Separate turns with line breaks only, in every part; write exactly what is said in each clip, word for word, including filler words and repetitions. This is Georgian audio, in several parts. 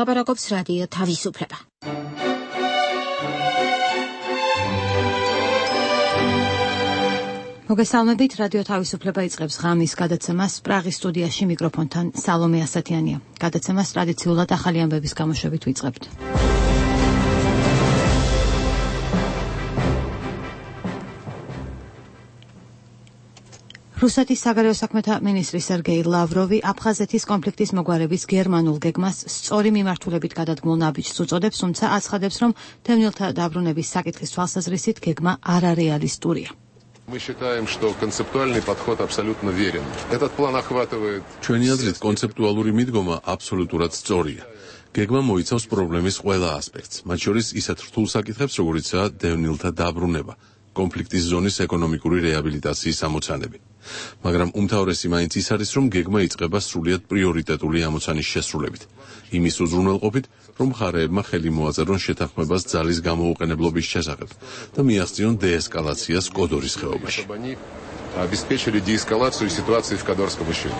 ლაპარაკობს რადიო თავისუფლება. მოგესალმებით, რადიო თავისუფლება იწყებს ღამის გადაცემას. პრაღის სტუდიაში მიკროფონთან სალომე ასათიანია. გადაცემას ტრადიციულად ახალი ამბების გამოშვებით ვიწყებთ. რუსეთის საგარეო საქმეთა მინისტრი სერგეი ლავროვი აფხაზეთის კონფლიქტის მოგვარების გერმანულ გეგმას სწორი მიმართულებით გადადგმულ ნაბიჯს უწოდებს, თუმცა აცხადებს, რომ დევნილთა დაბრუნების საკითხის თვალსაზრისით გეგმა არარეალისტურია.
Мы считаем, что концептуальный подход абсолютно верен. Этот план охватывает...
ჩვენი აზრით, კონცეპტუალური მიდგომა აბსოლუტურად სწორია. გეგმა მოიცავს პრობლემის ყველა ასპექტს, მათ შორის ისეთ რთულ საკითხებს, როგორიცაა დევნილთა დაბრუნება, კონფლიქტის ზონის ეკონომიკური რეაბილიტაციის ამოცანები. მაგრამ უმთავრესი მაინც ის არის, რომ გეგმა იწყება სრულიად პრიორიტეტული ამოცანის შესრულებით, იმის უზრუნველყოფით, რომ მხარეებმა ხელი მოაწერონ შეთანხმებას ძალის გამოუყენებლობის შესახებ და მიაღწიონ დეესკალაციას კოდორის ხეობაში.
Обеспечили деэскалацию ситуации в Кодорском ущелье.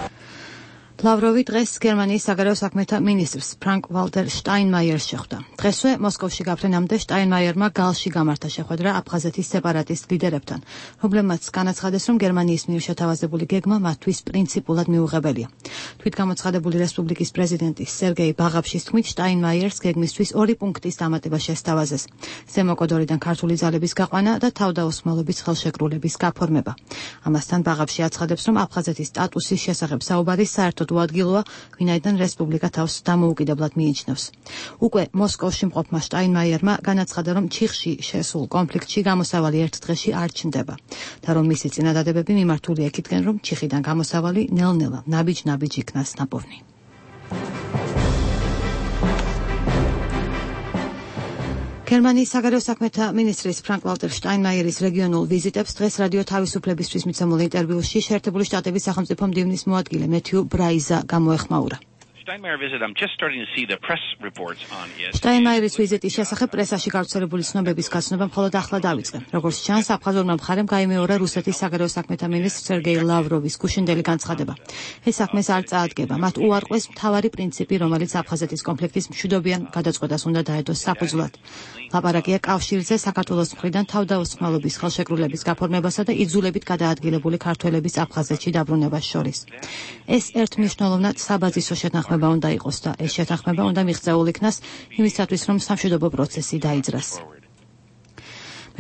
ლავროვი დღეს გერმანიის საგარეო საქმეთა მინისტრს ფრანკ ვალტერ შტაინმაიერს შეხვდა. დღესვე მოსკოვში გაფრენამდე შტაინმაიერმა გალში გამართა შეხვედრა აფხაზეთის სეპარატისტ ლიდერებთან, რომლებმაც განაცხადეს, რომ გერმანიის მიერ შეთავაზებული გეგმა მათთვის პრინციპულად მიუღებელია. თვითგამოცხადებული რესპუბლიკის პრეზიდენტი სერგეი ბაღაფშის თქმით, შტაინმაიერს გეგმისთვის ორი პუნქტის დამატება შესთავაზეს: ზემო კოდორიდან ქართული ძალების გაყვანა და თავდაოსმალობის ხელშეკრულების გაფორმება. ამასთან ბაღაფში აცხადებს, რომ აფხაზეთის სტატუსის შესახებ საუბარი საერთოდ უადგილოა, ვინაიდან რესპუბლიკა თავს დამოუკიდებლად მიიჩნევს. უკვე მოსკოვში მყოფმა შტაინმაიერმა განაცხადა, რომ ჩიხში შესულ კონფლიქტში გამოსავალი ერთ დღეში არ ჩნდება და რომ მისი წინადადებები მიმართულია იქითკენ, რომ ჩიხიდან გამოსავალი ნელ-ნელა ნაბიჯ-ნაბიჯ იქნას ნაპოვნი. გერმანიის საგარეო საქმეთა მინისტრის ფრანკ ვალტერ შტაინმაიერის რეგიონულ ვიზიტებს დღეს რადიო თავისუფლებისთვის მიცემულ ინტერვიუში შეერთებული შტატების სახელმწიფო მდივნის მოადგილე მეთიუ ბრაიზა გამოეხმაურა. შტაინმაიერის ვიზიტის შესახებ პრესაში გავრცელებული ცნობების გაცნობა მხოლოდ ახლა დავიწყე. როგორც ჩანს, აფხაზურმა მხარემ გაიმეორა რუსეთის საგარეო საქმეთა მინისტრ სერგეი ლავროვის გუშინდელი განცხადება. ეს საქმეს არ წაადგება. მათ უარყვეს მთავარი პრინციპი, რომელიც აფხაზეთის კონფლიქტის მშვიდობიან გადაწყვეტას უნდა დაედოს საფუძვლად. ლაპარაკია კავშირზე საქართველოს მხრიდან თავდაოსმალობის ხელშეკრულების გაფორმებასა და იძულებით გადაადგილებული ქართველების აფხაზეთში დაბრუნებას შორის. ეს ერთმნიშვნელოვნად საბაზისო შეთანხმება უნდა იყოს და ეს შეთანხმება უნდა მიღწეულ იქნას იმისათვის, რომ სამშვიდობო პროცესი დაიძრას.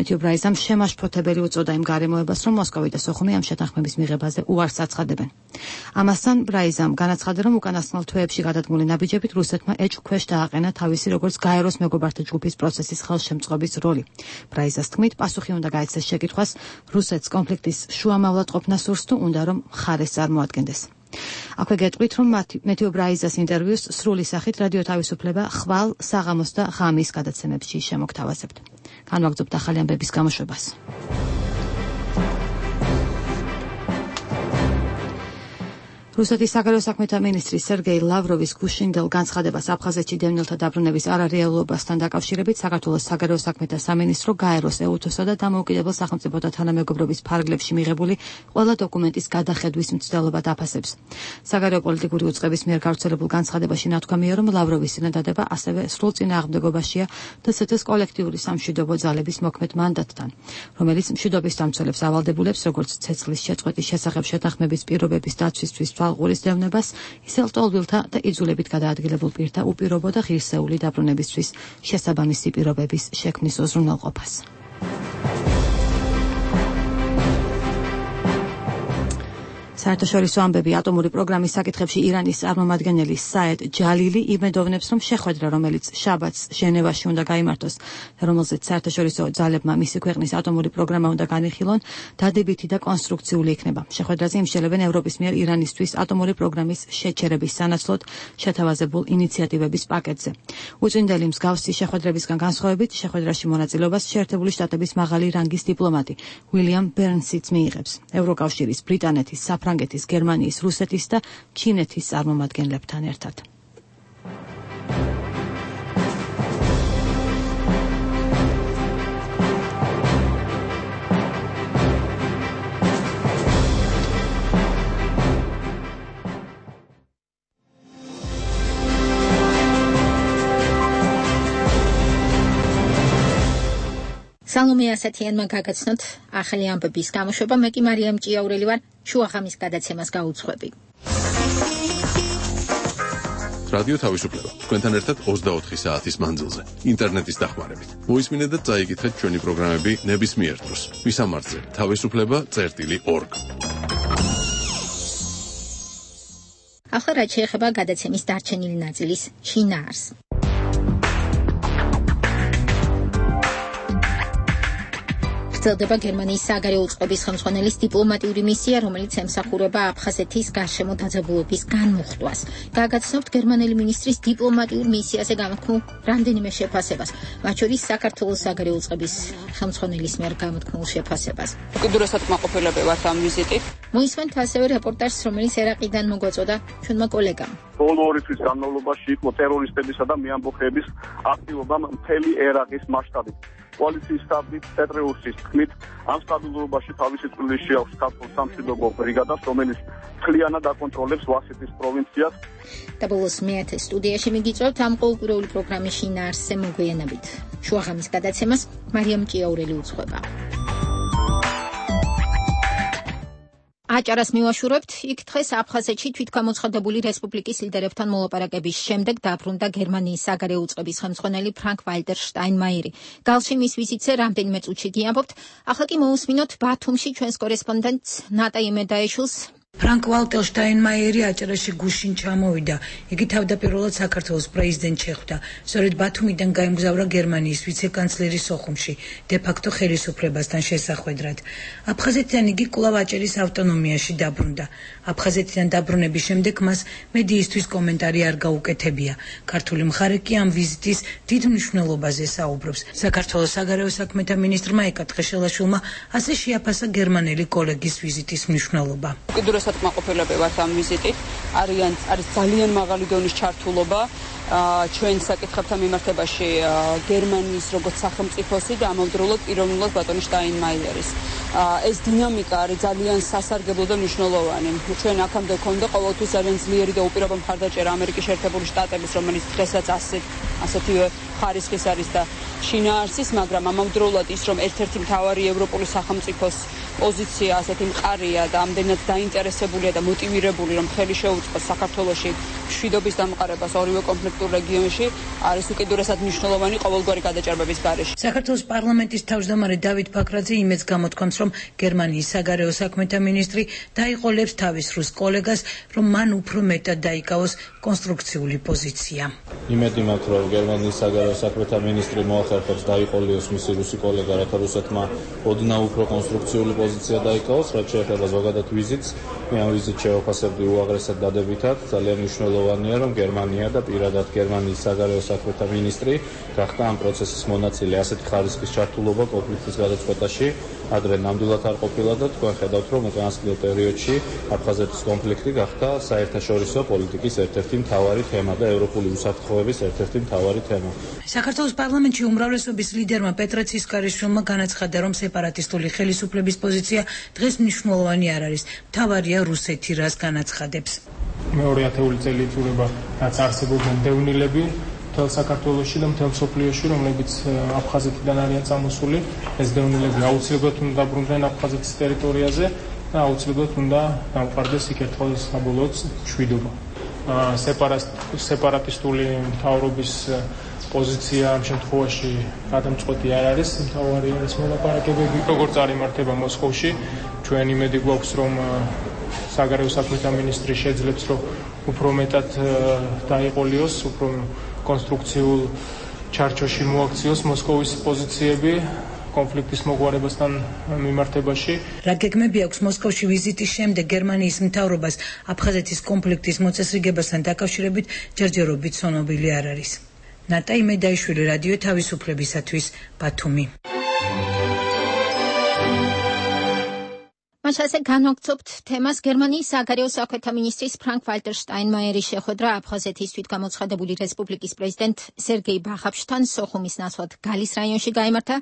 მეთიუ ბრაიზამ შემაშფოთებელი უწოდა იმ გარემოებას, რომ მოსკოვი და სოხუმი ამ შეთანხმების მიღებაზე უარს აცხადებენ. ამასთან ბრაიზამ განაცხადა, რომ უკანასკნელ თვეებში გადადგმული ნაბიჯებით რუსეთმა ეჭვქვეშ დააყენა თავისი როგორც გაეროს მეგობართა ჯგუფის პროცესის ხელშემწყობის როლი. ბრაიზას თქმით, პასუხი უნდა გაეცეს შეკითხვას, რუსეთს კონფლიქტის შუამავლად ყოფნა სურს თუ უნდა რომ მხარეს წარმოადგენდეს. აქვე გეტყვით, რომ მეთიუ ბრაიზას ინტერვიუს სრული სახით რადიო თავისუფლება ხვალ, საღამოს და ღამის გადაცემებში შემოგთავაზებთ. განვაგრძობთ ახალი ამბების გამოშვებას. რუსეთის საგარეო საქმეთა მინისტრი სერგეი ლავროვის გუშინდელ განცხადებას აფხაზეთში დევნილთა დაბრუნების არარეალობასთან დაკავშირებით საქართველოს საგარეო საქმეთა სამინისტრო გაეროს, ეუთოსა და დამოუკიდებელ სახელმწიფოთა თანამეგობრობის ფარგლებში მიღებული ყველა დოკუმენტის გადახედვის მცდელობა დაფასებს. საგარეო პოლიტიკური უწყების მიერ გავრცელებულ განცხადებაში ნათქვამია, რომ ლავროვის წინადადება ასევე სრულ წინააღმდეგობაშია დსთ-ს კოლექტიური სამშვიდობო ძალების მოქმედ მანდატთან, რომელიც მშვიდობის დამცველებს ავალდებულებს, როგორც ცეცხლის შეწყვეტის შესახებ შეთანხმების პირობების დაცვისთვის თვალყურის დევნებას, ისე ლტოლვილთა და იძულებით გადაადგილებულ პირთა უპირობო და ღირსეული დაბრუნებისთვის შესაბამისი პირობების შექმნის უზრუნველყოფას. საერთაშორისო ამბები ატომური პროგრამის საკითხებში ირანის წარმომადგენელი საედ ჯალილი იმედოვნებს, რომ შეხვედრა, რომელიც შაბათს ჟენევაში უნდა გაიმართოს და რომელზეც საერთაშორისო ძალებმა მისი ქვეყნის ატომური პროგრამა უნდა განიხილონ, დადებითი და კონსტრუქციული იქნება. შეხვედრაზე იმსჯელებენ ევროპის მიერ ირანისთვის ატომური პროგრამის შეჩერების სანაცვლოდ შეთავაზებულ ინიციატივების პაკეტზე. უწინდელი მსგავსი შეხვედრებისგან განსხვავებით, შეხვედრაში მონაწილეობას შეერთებული შტატების მაღალი რანგის დიპლომატი უილიამ ბერნსიც მიიღებს. ევროკავშირის, ბრიტანეთის, საფრანგეთის, გერმანიის, რუსეთის და ჩინეთის წარმომადგენლებთან ერთად.
სალომე ასათიანმა გაგაცნოთ ახალი ამბების გამოშვება, მე კი მარიამ ჭიაურელი ვარ, შუაღამის გადაცემას გაუძღვები.
რადიო თავისუფლება. თქვენთან ერთად ოცდაოთხი საათის მანძილზე, ინტერნეტის დახმარებით. მოისმინეთ და წაიკითხეთ ჩვენი პროგრამები ნებისმიერ დროს. ვისამართზე თავისუფლება წერტილი ორგ.
ახლა რაც შეეხება გადაცემის დარჩენილი ნაწილის შინაარს. გრძელდება გერმანიის საგარეო უწყების ხელმძღვანელის დიპლომატიური მისია, რომელიც ემსახურება აფხაზეთის გარშემო დაძაბულობის განმუხტვას. გაგაცნობთ გერმანელი მინისტრის დიპლომატიურ მისიაზე გამოთქმულ რამდენიმე შეფასებას, მათ შორის საქართველოს საგარეო უწყების ხელმძღვანელის მიერ გამოთქმულ შეფასებას.
უკიდურესად კმაყოფილები ვართ ამ ვიზიტით.
მოისმენთ ასევე რეპორტაჟს, რომელიც ერაყიდან მოგვაწოდა ჩვენმა კოლეგამ.
ბოლო ორი თვის განმავლობაში იყო ტერორისტებისა და მეამბოხეების აქტივობა მთელი ერაყის მასშტაბით. პოლიციის სტაბის პეტრეუსის თქმით, ამ სტაბილურობაში თავისი წვლილი შეაქვს ქართულ სამშვიდობო ბრიგადას, რომელიც მთლიანად აკონტროლებს ვასიტის პროვინციას.
და ბოლოს მეათე სტუდიაში მიგიწევთ ამ ყოველკვირეული პროგრამის შინაარსზე მოგვიანებით. შუაღამის გადაცემას მარიამ ჭიაურელი უძღვება. აჭარას მივაშურებთ, იქ დღეს აფხაზეთში თვითგამოცხადებული რესპუბლიკის ლიდერებთან მოლაპარაკების შემდეგ დაბრუნდა გერმანიის საგარეო უწყების ხელმძღვანელი ფრანკ ვალტერ შტაინმაიერი. გალში მის ვიზიტზე რამდენიმე წუთში გიამბობთ, ახლა კი მოусმინოთ ბათუმში ჩვენს კორესპონდენტს ნატა იმედაიშვილს.
ფრანკ ვალტერ შტაინმაიერი აჭარაში გუშინ ჩამოვიდა. იგი თავდაპირველად საქართველოს პრეზიდენტს შეხვდა. სწორედ ბათუმიდან გაემგზავრა გერმანიის ვიცე-კანცლერის სოხუმში, დე-ფაქტო ხელისუფლებასთან შესახვედრად. აფხაზეთიდან იგი კვლავ აჭარის ავტონომიაში დაბრუნდა. აფხაზეთიდან დაბრუნების შემდეგ მას მედიისთვის კომენტარი არ გაუკეთებია. ქართული მხარე კი ამ ვიზიტის დიდ მნიშვნელობაზე საუბრობს. საქართველოს საგარეო საქმეთა მინისტრმა ეკა თხეშელაშვილმა ასე შეაფასა გერმანელი კოლეგის ვიზიტის მნიშვნელობა.
უკიდურესად კმაყოფილები ვართ ამ ვიზიტით. არიან არის ძალიან მაღალი დონის ჩართულობა ჩვენ საკითხებთან მიმართებაში გერმანიის როგორც სახელმწიფოსი და ამავდროულად პიროვნულად ბატონი შტაინმაიერის. ეს დინამიკა არის ძალიან სასარგებლო და მნიშვნელოვანი. ჩვენ აქამდე გვქონდა ყოველთვის ძალიან ძლიერი და უპირობო მხარდაჭერა ამერიკის შეერთებული შტატების, რომელიც დღესაც ასეთ ასეთივე ხარისხის არის და შინაარსის, მაგრამ ამავდროულად ის, რომ ერთ-ერთი მთავარი ევროპული სახელმწიფოს პოზიცია ასეთი მყარია და ამდენად დაინტერესებულია და მოტივირებული, რომ ხელი შეუწყოს საქართველოში მშვიდობის დამყარებას ორივე კონფლიქტურ რეგიონში, არის უკიდურესად მნიშვნელოვანი ყოველგვარი გადაჭარბების გარეშე.
საქართველოს პარლამენტის თავმჯდომარე დავით ბაქრაძე იმედს გამოთქვამს, რომ გერმანიის საგარეო საქმეთა მინისტრი დაიყოლებს თავის რუს კოლეგას, რომ მან უფრო მეტად დაიკავოს კონსტრუქციული პოზიცია.
იმედი მაქვს, რომ გერმანიის საგარეო საქმეთა მინისტრი მოახერხებს დაიყოლიოს მისი რუსი კოლეგა, რათა რუსეთმა ოდნავ უფრო კონსტრუქციული პოზიცია დაიკავოს, რაც შეეხება ზოგადად ვიზიტს. მე ამ ვიზიტს შევაფასებდი უაღრესად დადებითად. ძალიან მნიშვნელოვანია, რომ გერმანია და პირადად გერმანიის საგარეო საქმეთა მინისტრი გახდა ამ პროცესის მონაწილე. ასეთი ხარისხის ჩართულობა კონფლიქტის გადაწყვეტაში ადრე ნამდვილად არ ყოფილა და თქვენ ხედავთ, რომ უკანასკნელ პერიოდში აფხაზეთის კონფლიქტი გახდა საერთაშორისო პოლიტიკის ერთ-ერთი მთავარი თემა და ევროპული უსაფრთხოების ერთ-ერთი მთავარი თემა.
საქართველოს პარლამენტში უმრავლესობის ლიდერმა პეტრე ცისკარიშვილმა განაცხადა, რომ სეპარატისტული ხელისუფლების პოზიცია დღეს მნიშვნელოვანი არ არის. მთავარია რუსეთი რას განაცხადებს.
მეორე ათეული წელი იწურება, რაც არსებობენ დევნილები მთელ საქართველოში და მთელ მსოფლიოში, რომლებიც აფხაზეთიდან არიან წამოსული. ეს დევნილები აუცილებლად უნდა დაბრუნდნენ აფხაზეთის ტერიტორიაზე და აუცილებლად უნდა დამყარდეს იქ ერთხელ საბოლოოდ მშვიდობა. სეპარატისტული მთავრობის პოზიცია ამ შემთხვევაში გადამწყვეტი არ არის, მთავარი არის მოლაპარაკებები, როგორც არ იმართება მოსკოვში. ჩვენ იმედი გვაქვს, რომ საგარეო საქმეთა მინისტრი შეძლებს, რომ უფრო მეტად დაიყოლიოს, უფრო კონსტრუქციულ ჩარჩოში მოაქციოს მოსკოვის პოზიციები კონფლიქტის მოგვარებასთან მიმართებაში.
რა გეგმები აქვს მოსკოვში ვიზიტის შემდეგ გერმანიის მთავრობას აფხაზეთის კონფლიქტის მოწესრიგებასთან დაკავშირებით ჯერჯერობით ცნობილი არ არის. ნატა იმედაიშვილი, რადიო თავისუფლებისათვის, ბათუმი.
მასაზე განვაგრძობთ თემას გერმანიის საგარეო საქმეთა მინისტრის ფრანკ ვალტერ შტაინმაიერის შეხვედრა აფხაზეთის თვითგამოცხადებული რესპუბლიკის პრეზიდენტ სერგეი ბაღაფშთან სოხუმის ნაცვლად გალის რაიონში გაიმართა.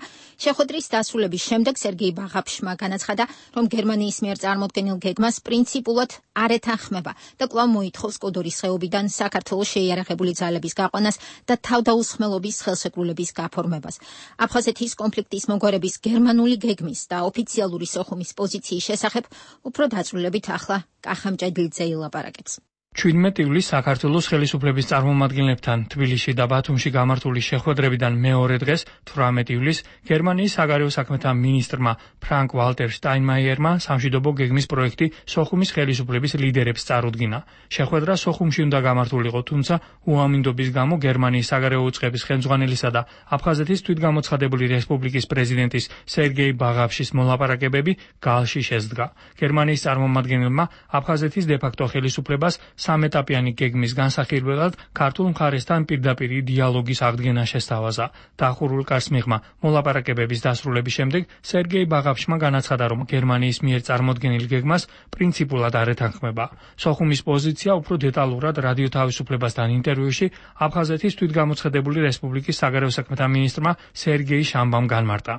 შეხვედრის დასრულების შემდეგ სერგეი ბაღაფშმა განაცხადა, რომ გერმანიის მიერ წარმოდგენილ გეგმას პრინციპულად არ ეთანხმება და კვლავ მოითხოვს კოდორის ხეობიდან საქართველოს შეიარაღებული ძალების გაყვანას და თავდაუსხმელობის ხელშეკრულების გაფორმებას. აფხაზეთის კონფლიქტის მოგვარების გერმანული გეგმის და ოფიციალური სოხუმის პოზიციის შესახებ უფრო დაწვრილებით ახლა კახამჭედლიძე ილაპარაკებს.
ჩვიდმეტი ივლისს საქართველოს ხელისუფლების წარმომადგენლებთან თბილისში და ბათუმში გამართული შეხვედრებიდან მეორე დღეს თვრამეტი ივლისს გერმანიის საგარეო საქმეთა მინისტრმა ფრანკ ვალტერ შტაინმაიერმა სამშვიდობო გეგმის პროექტი სოხუმის ხელისუფლების ლიდერებს წარუდგინა. შეხვედრა სოხუმში უნდა გამართულიყო, თუმცა უამინდობის გამო გერმანიის საგარეო უწყების ხელმძღვანელისა და აფხაზეთის თვითგამოცხადებული რესპუბლიკის პრეზიდენტის სერგეი ბაღაფშის მოლაპარაკებები გალში შესდგა. გერმანიის წარმომადგენელმა აფხაზეთის დე-ფაქტო ხელისუფლებას სამეტაპიანი გეგმის განსახილველად ქართულ მხარესთან პირდაპირ დიალოგის აღდგენა შესთავაზა. დახურულ კარს მიღმა მოლაპარაკებების დასრულების შემდეგ სერგეი ბაღაფშმა განაცხადა, რომ გერმანიის მიერ წარმოდგენილ გეგმას პრინციპულად არ ეთანხმება. სოხუმის პოზიცია უფრო დეტალურად რადიო თავისუფლებასთან ინტერვიუში აფხაზეთის თვითგამოცხადებული რესპუბლიკის საგარეო საქმეთა მინისტრმა სერგეი შამბამ განმარტა.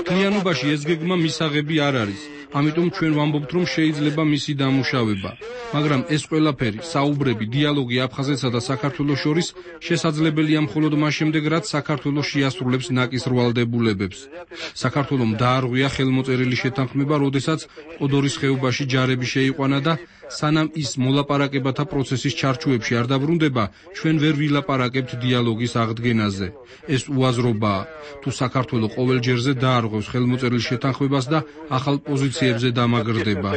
მთლიანობაში ეს გეგმა მისაღები არ არის. ამიტომ ჩვენ ვამბობთ, რომ შეიძლება მისი დამუშავება. მაგრამ ეს ყველაფერი, საუბრები, დიალოგი აფხაზეთსა და საქართველოს შორის შესაძლებელია მხოლოდ მას შემდეგ, რაც საქართველოს შეასრულებს ნაკის რვალდებულებებს. საქართველომ დაარღვია ხელმოწერილი შეთანხმება, როდესაც კოდორის ხეობაში ჯარები შეიყვანა და სანამ ის მოლაპარაკებათა პროცესის ჩარჩოებში არ დაბრუნდება, ჩვენ ვერ ვილაპარაკებთ დიალოგის აღდგენაზე. ეს უაზრობაა. თუ საქართველო ყოველ ჯერზე დაარღვევს ხელმოწერილ შეთანხმებას და ახალ პოზიციებზე დამაგრდება.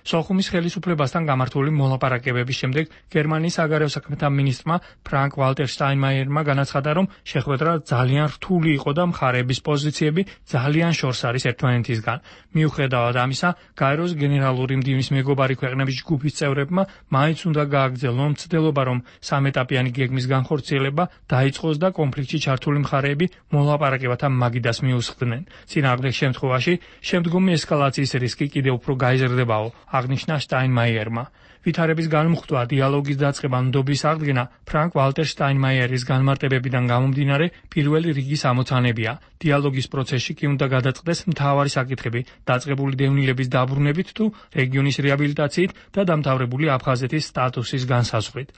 სოხუმის ხელისუფლებასთან გამართული მოლაპარაკებების შემდეგ გერმანიის საგარეო საქმეთა მინისტრმა ფრანკ ვალტერ შტაინმაიერმა განაცხადა, რომ შეხვედრა ძალიან რთული იყო და მხარეების პოზიციები ძალიან შორს არის ერთმანეთისგან. მიუხედავად ამისა, გაეროს გენერალური მდივნის მეგობარი ქვეყნების ჯგუფის წევრებმა მაინც უნდა გააგრძელონ მცდელობა, რომ სამეტაპიანი გეგმის განხორციელება დაიწყოს და კონფლიქტში ჩართული მხარეები მოლაპარაკებათა მაგიდას მიუსხდნენ. წინააღმდეგ შემთხვევაში შემდგომი ესკალაციის რისკი კიდევ უფრო გაიზრდებაო, აღნიშნა შტაინმაიერმა. ვითარების განმუხტვა, დიალოგის დაწყება, ნდობის აღდგენა ფრანკ ვალტერ შტაინმაიერის განმარტებებიდან გამომდინარე პირველი რიგის ამოცანებია. დიალოგის პროცესში კი უნდა გადაწყდეს მთავარი საკითხები, დაწყებული დევნილების დაბრუნებით თუ რეგიონის რეაბილიტაციით და დამთავრებული აფხაზეთის სტატუსის განსაზღვრით.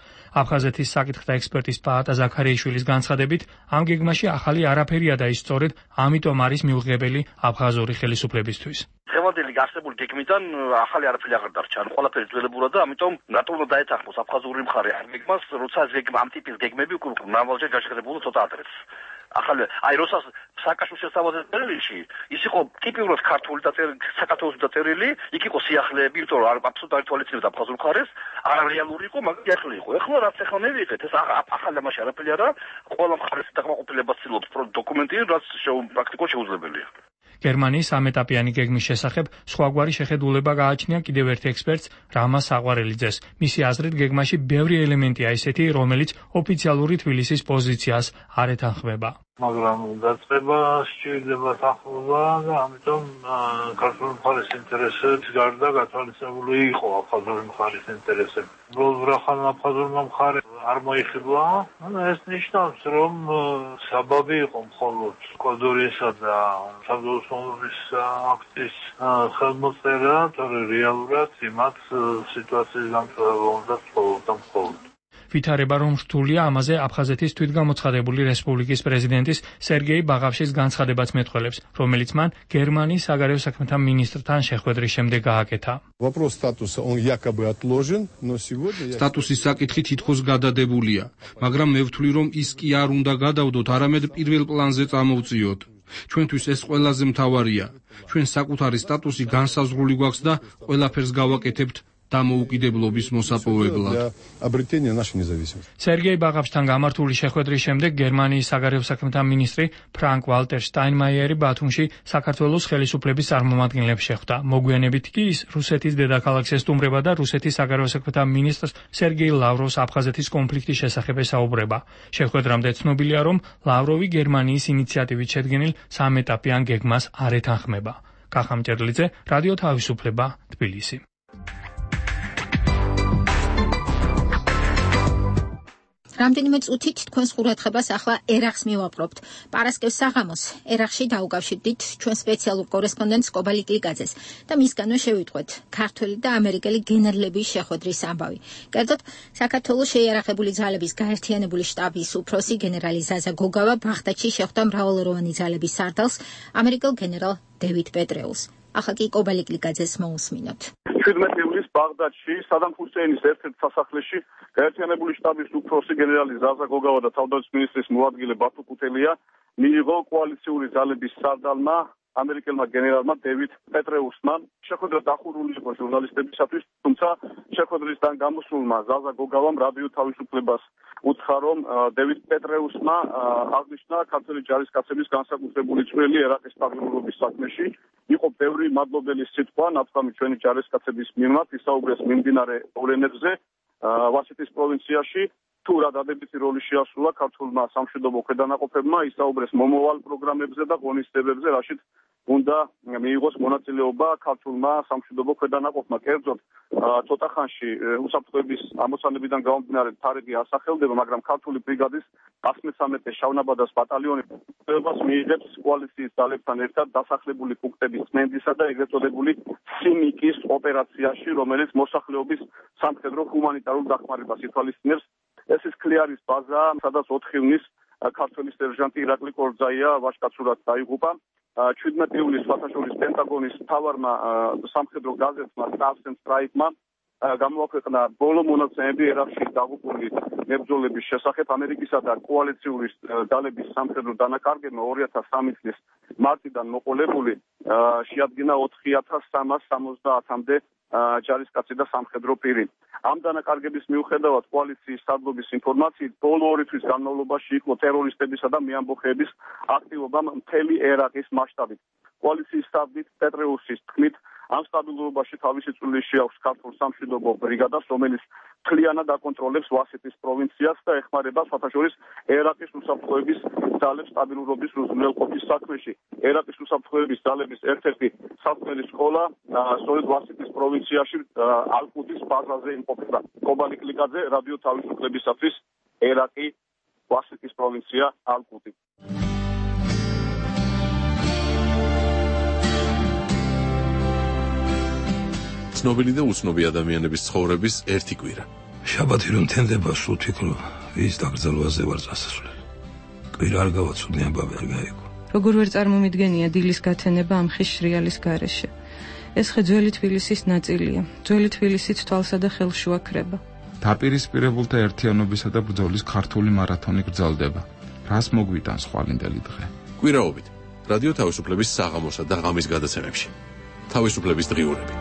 აფხაზეთის საკითხთა ექსპერტის პაატა ზაქარიაშვილის განცხადებით, ამ გეგმაში ახალი არაფერია და ის სწორედ ამიტომ არის მიუღებელი აფხაზური ხელისუფლებისთვის.
ხევადელი არსებული გეგმიდან ახალი არაფერი აღარ დარჩა. ანუ ყველაფერი ძველებურა და ამიტომ რატომ უნდა დაეთანხმოს აფხაზური მხარე ამ გეგმას, როცა ეს გეგმა ამ ტიპის გეგმები უკვე მრავალჯერ გაშეღებულა ცოტა ადრეც. ახალი აი როცა სააკაშვილის შესთავაზა წერილში ის იყო ტიპიურად ქართული საქართველოს დაწერილი, იქ იყო სიახლეები, იმიტომ რომ აბსოლუტურად არ თვალისწინებდა აფხაზურ მხარეს, არარეალური იყო, მაგრამ სიახლე იყო. ეხლა რაც ეხლა მივიღეთ, ეს ახალი ამაში არაფერი არა, ყველა მხარეს დაკმაყოფილებას ცდილობს დოკუმენტი, რაც პრაქტიკულად შეუძლებელია.
გერმანიის სამეტაპიანი გეგმის შესახებ სხვაგვარი შეხედულება გააჩნია კიდევ ერთ ექსპერტს რამაზ საყვარელიძეს. მისი აზრით, გეგმაში ბევრი ელემენტია ისეთი, რომელიც ოფიციალური თბილისის პოზიციას არ ეთანხმება.
მაგრამ დაწყება სჭირდება თანხმობა და ამიტომ ქართული მხარის ინტერესებს გარდა გათვალისწინებული იყო აფხაზური მხარის ინტერესები. რობრახან აფხაზურმა მხარემ არ მოიხიბლა, ეს ნიშნავს, რომ საბაბი იყო მხოლოდ კოდორისა და თავდაუსხმელობის აქტის ხელმოწერა, თორე რეალურად იმათ სიტუაციის გამწვავება უნდა მხოლოდ და მხოლოდ.
ვითარება რომ რთულია, ამაზე აფხაზეთის თვითგამოცხადებული რესპუბლიკის პრეზიდენტის სერგეი ბაღაფშის განცხადებაც მეტყველებს, რომელიც მან გერმანიის საგარეო საქმეთა მინისტრთან შეხვედრის შემდეგ გააკეთა.
სტატუსის საკითხი თითქოს გადადებულია, მაგრამ მე ვთვლი, რომ ის კი არ უნდა გადავდოთ, არამედ პირველ პლანზე წამოვწიოთ. ჩვენთვის ეს ყველაზე მთავარია. ჩვენ საკუთარი სტატუსი განსაზღვრული გვაქვს და ყველაფერს გავაკეთებთ დამოუკიდებლობის მოსაპოვებლად.
სერგეი ბაღაფშთან გამართული შეხვედრის შემდეგ გერმანიის საგარეო საქმეთა მინისტრი ფრანკ ვალტერ შტაინმაიერი ბათუმში საქართველოს ხელისუფლების წარმომადგენლებს შეხვდა. მოგვიანებით კი ის რუსეთის დედაქალაქს ესტუმრება და რუსეთის საგარეო საქმეთა მინისტრს სერგეი ლავროვს აფხაზეთის კონფლიქტის შესახებ ესაუბრება. შეხვედრამდე ცნობილია, რომ ლავროვი გერმანიის ინიციატივით შედგენილ სამეტაპიან გეგმას არ ეთანხმება. კახამჭედლიძე, რადიო თავისუფლება, თბილისი.
რამდენიმე წუთით თქვენს ყურადღებას ახლა ერახს მივაპყრობთ. პარასკევს საღამოს ერახში დაუკავშირდით ჩვენ სპეციალურ კორესპონდენტს კობალიკ გლიკაძეს და მისგანვე შევიტყვეთ ქართველი და ამერიკელი გენერლების შეხვედრის ამბავი. კერძოდ, საქართველოს შეიარაღებული ძალების გაერთიანებული შტაბის უფროსი გენერალი ზაზა გოგავა ბაღდადში შეხვდა მრავალროვანი ძალების სარდალს, ამერიკელ გენერალ დევიდ პეტრეულს. ახლა კი კობალიკ გლიკაძეს მოусმინოთ.
შვიდმეტი ივლისს ბაღდადში სადამ ჰუსეინის ერთ-ერთ სასახლეში გაერთიანებული შტაბის უფროსი გენერალი ზაზა გოგავა და თავდაცვის მინისტრის მოადგილე ბათუ კუტელია მიიღო კოალიციური ძალების სარდალმა ამერიკელმა გენერალმა დევიდ პეტრეუსმა. შეხვედრა დახურული იყო ჟურნალისტებისათვის, თუმცა შეხვედრისგან გამოსულმა ზაზა გოგავამ რადიო თავისუფლებას უთხრა, რომ დევიდ პეტრეუსმა აღნიშნა ქართველი ჯარისკაცების განსაკუთრებული წვლილი ერაყის სტაბილურობის საქმეში. იყო ბევრი მადლობელი სიტყვა ნათქვამი ჩვენი ჯარისკაცების მიმართ, ისაუბრეს მიმდინარე მოვლენებზე ვასიტის პროვინციაში. თუ რა დადებითი როლი შეასრულა ქართულმა სამშვიდობო ქვედანაყოფებმა, ისაუბრეს მომავალ პროგრამებზე და ღონისძიებებზე, რაშიც უნდა მიიღოს მონაწილეობა ქართულმა სამშვიდობო ქვედანაყოფმა. კერძოდ, ცოტა ხანში უსაფრთხოების ამოცანებიდან გამომდინარე თარიღი ასახელდება, მაგრამ ქართული ბრიგადის ას მესამე შავნაბადას ბატალიონი პროგრამას მიიღებს კოალიციის ძალებთან ერთად დასახლებული პუნქტების წმენდისა და ეგრეთ წოდებული სიმიკის ოპერაციაში, რომელიც მოსახლეობის სამხედრო ჰუმანიტარულ დახმარებას ითვალისწინებს. ეს ის ქლიარის ბაზა, სადაც ოთხი ივნის ქართველი სერჟანტი ირაკლი კორძაია ვაჟკაცურად დაიღუპა. შვიდმეტი ივლისს საერთაშორისო პენტაგონის მთავარმა სამხედრო გაზეთმა Stars and Stripes-მა გამოაქვეყნა ბოლო მონაცემები ერაყში დაღუპული მებრძოლების შესახებ. ამერიკისა და კოალიციური ძალების სამხედრო დანაკარგებმა ორი ათას სამი წლის მარტიდან მოყოლებული შეადგინა ოთხი ათას სამას სამოცდაათამდე ჯარისკაცი და სამხედრო პირი. ამ დანაკარგების მიუხედავად კოალიციის სარდლობის ინფორმაციით ბოლო ორი თვის განმავლობაში იყო ტერორისტებისა და მეამბოხეების აქტივობა მთელი ერაყის მასშტაბით. კოალიციის სტაბის პეტრეუსის თქმით, ამ სტაბილურობაში თავისი წვლილი შეაქვს ქართულ სამშვიდობო ბრიგადას, რომელიც მთლიანად აკონტროლებს ვასიტის პროვინციას და ეხმარება საერთაშორისო ერაყის უსაფრთხოების ძალებს სტაბილურობის უზრუნველყოფის საქმეში. ერაყის უსაფრთხოების ძალების ერთ-ერთი საქმელი სკოლა სწორედ ვასიტის პროვინციაში ალ-ყუდის ბაზაზე იმყოფება. კობალიკ გლიკაძე, რადიო თავისუფლებისათვის, ერაყი, ვასიტის პროვინცია, ალ-ყუდი.
ცნობილი და უცნობი ადამიანების ცხოვრების ერთი კვირა.
შაბათი რომ თენდება, სულ ვფიქრობ, ვის დაკრძალვაზე ვარ წასასვლელი. კვირა არ გავაცოდი, ამბავი არ გაიგო.
როგორ ვერ წარმომიდგენია დილის გათენება ამ ხის შრიალის გარეშე. ეს ხე ძველი თბილისის ნაწილია. ძველი თბილისიც თვალსა და ხელს შუაქრება.
დაპირისპირებულთა ერთიანობისა და ბრძოლის ქართული მარათონი გრძელდება. რას მოგვიტანს ხვალინდელი დღე?
კვირაობით რადიო თავისუფლების საღამოსა და ღამის გადაცემებში. თავისუფლების დღიურები.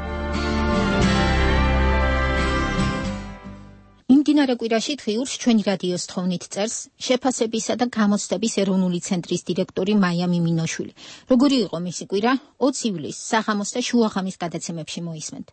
მიმდინარე კვირაში დღიურს ჩვენი რადიოს თხოვნით წერს შეფასებისა და გამოცდების ეროვნული ცენტრის დირექტორი მაია მიმინოშვილი. როგორი იყო მისი კვირა? ოცი ივლისს საღამოს და შუაღამის გადაცემებში მოისმენთ.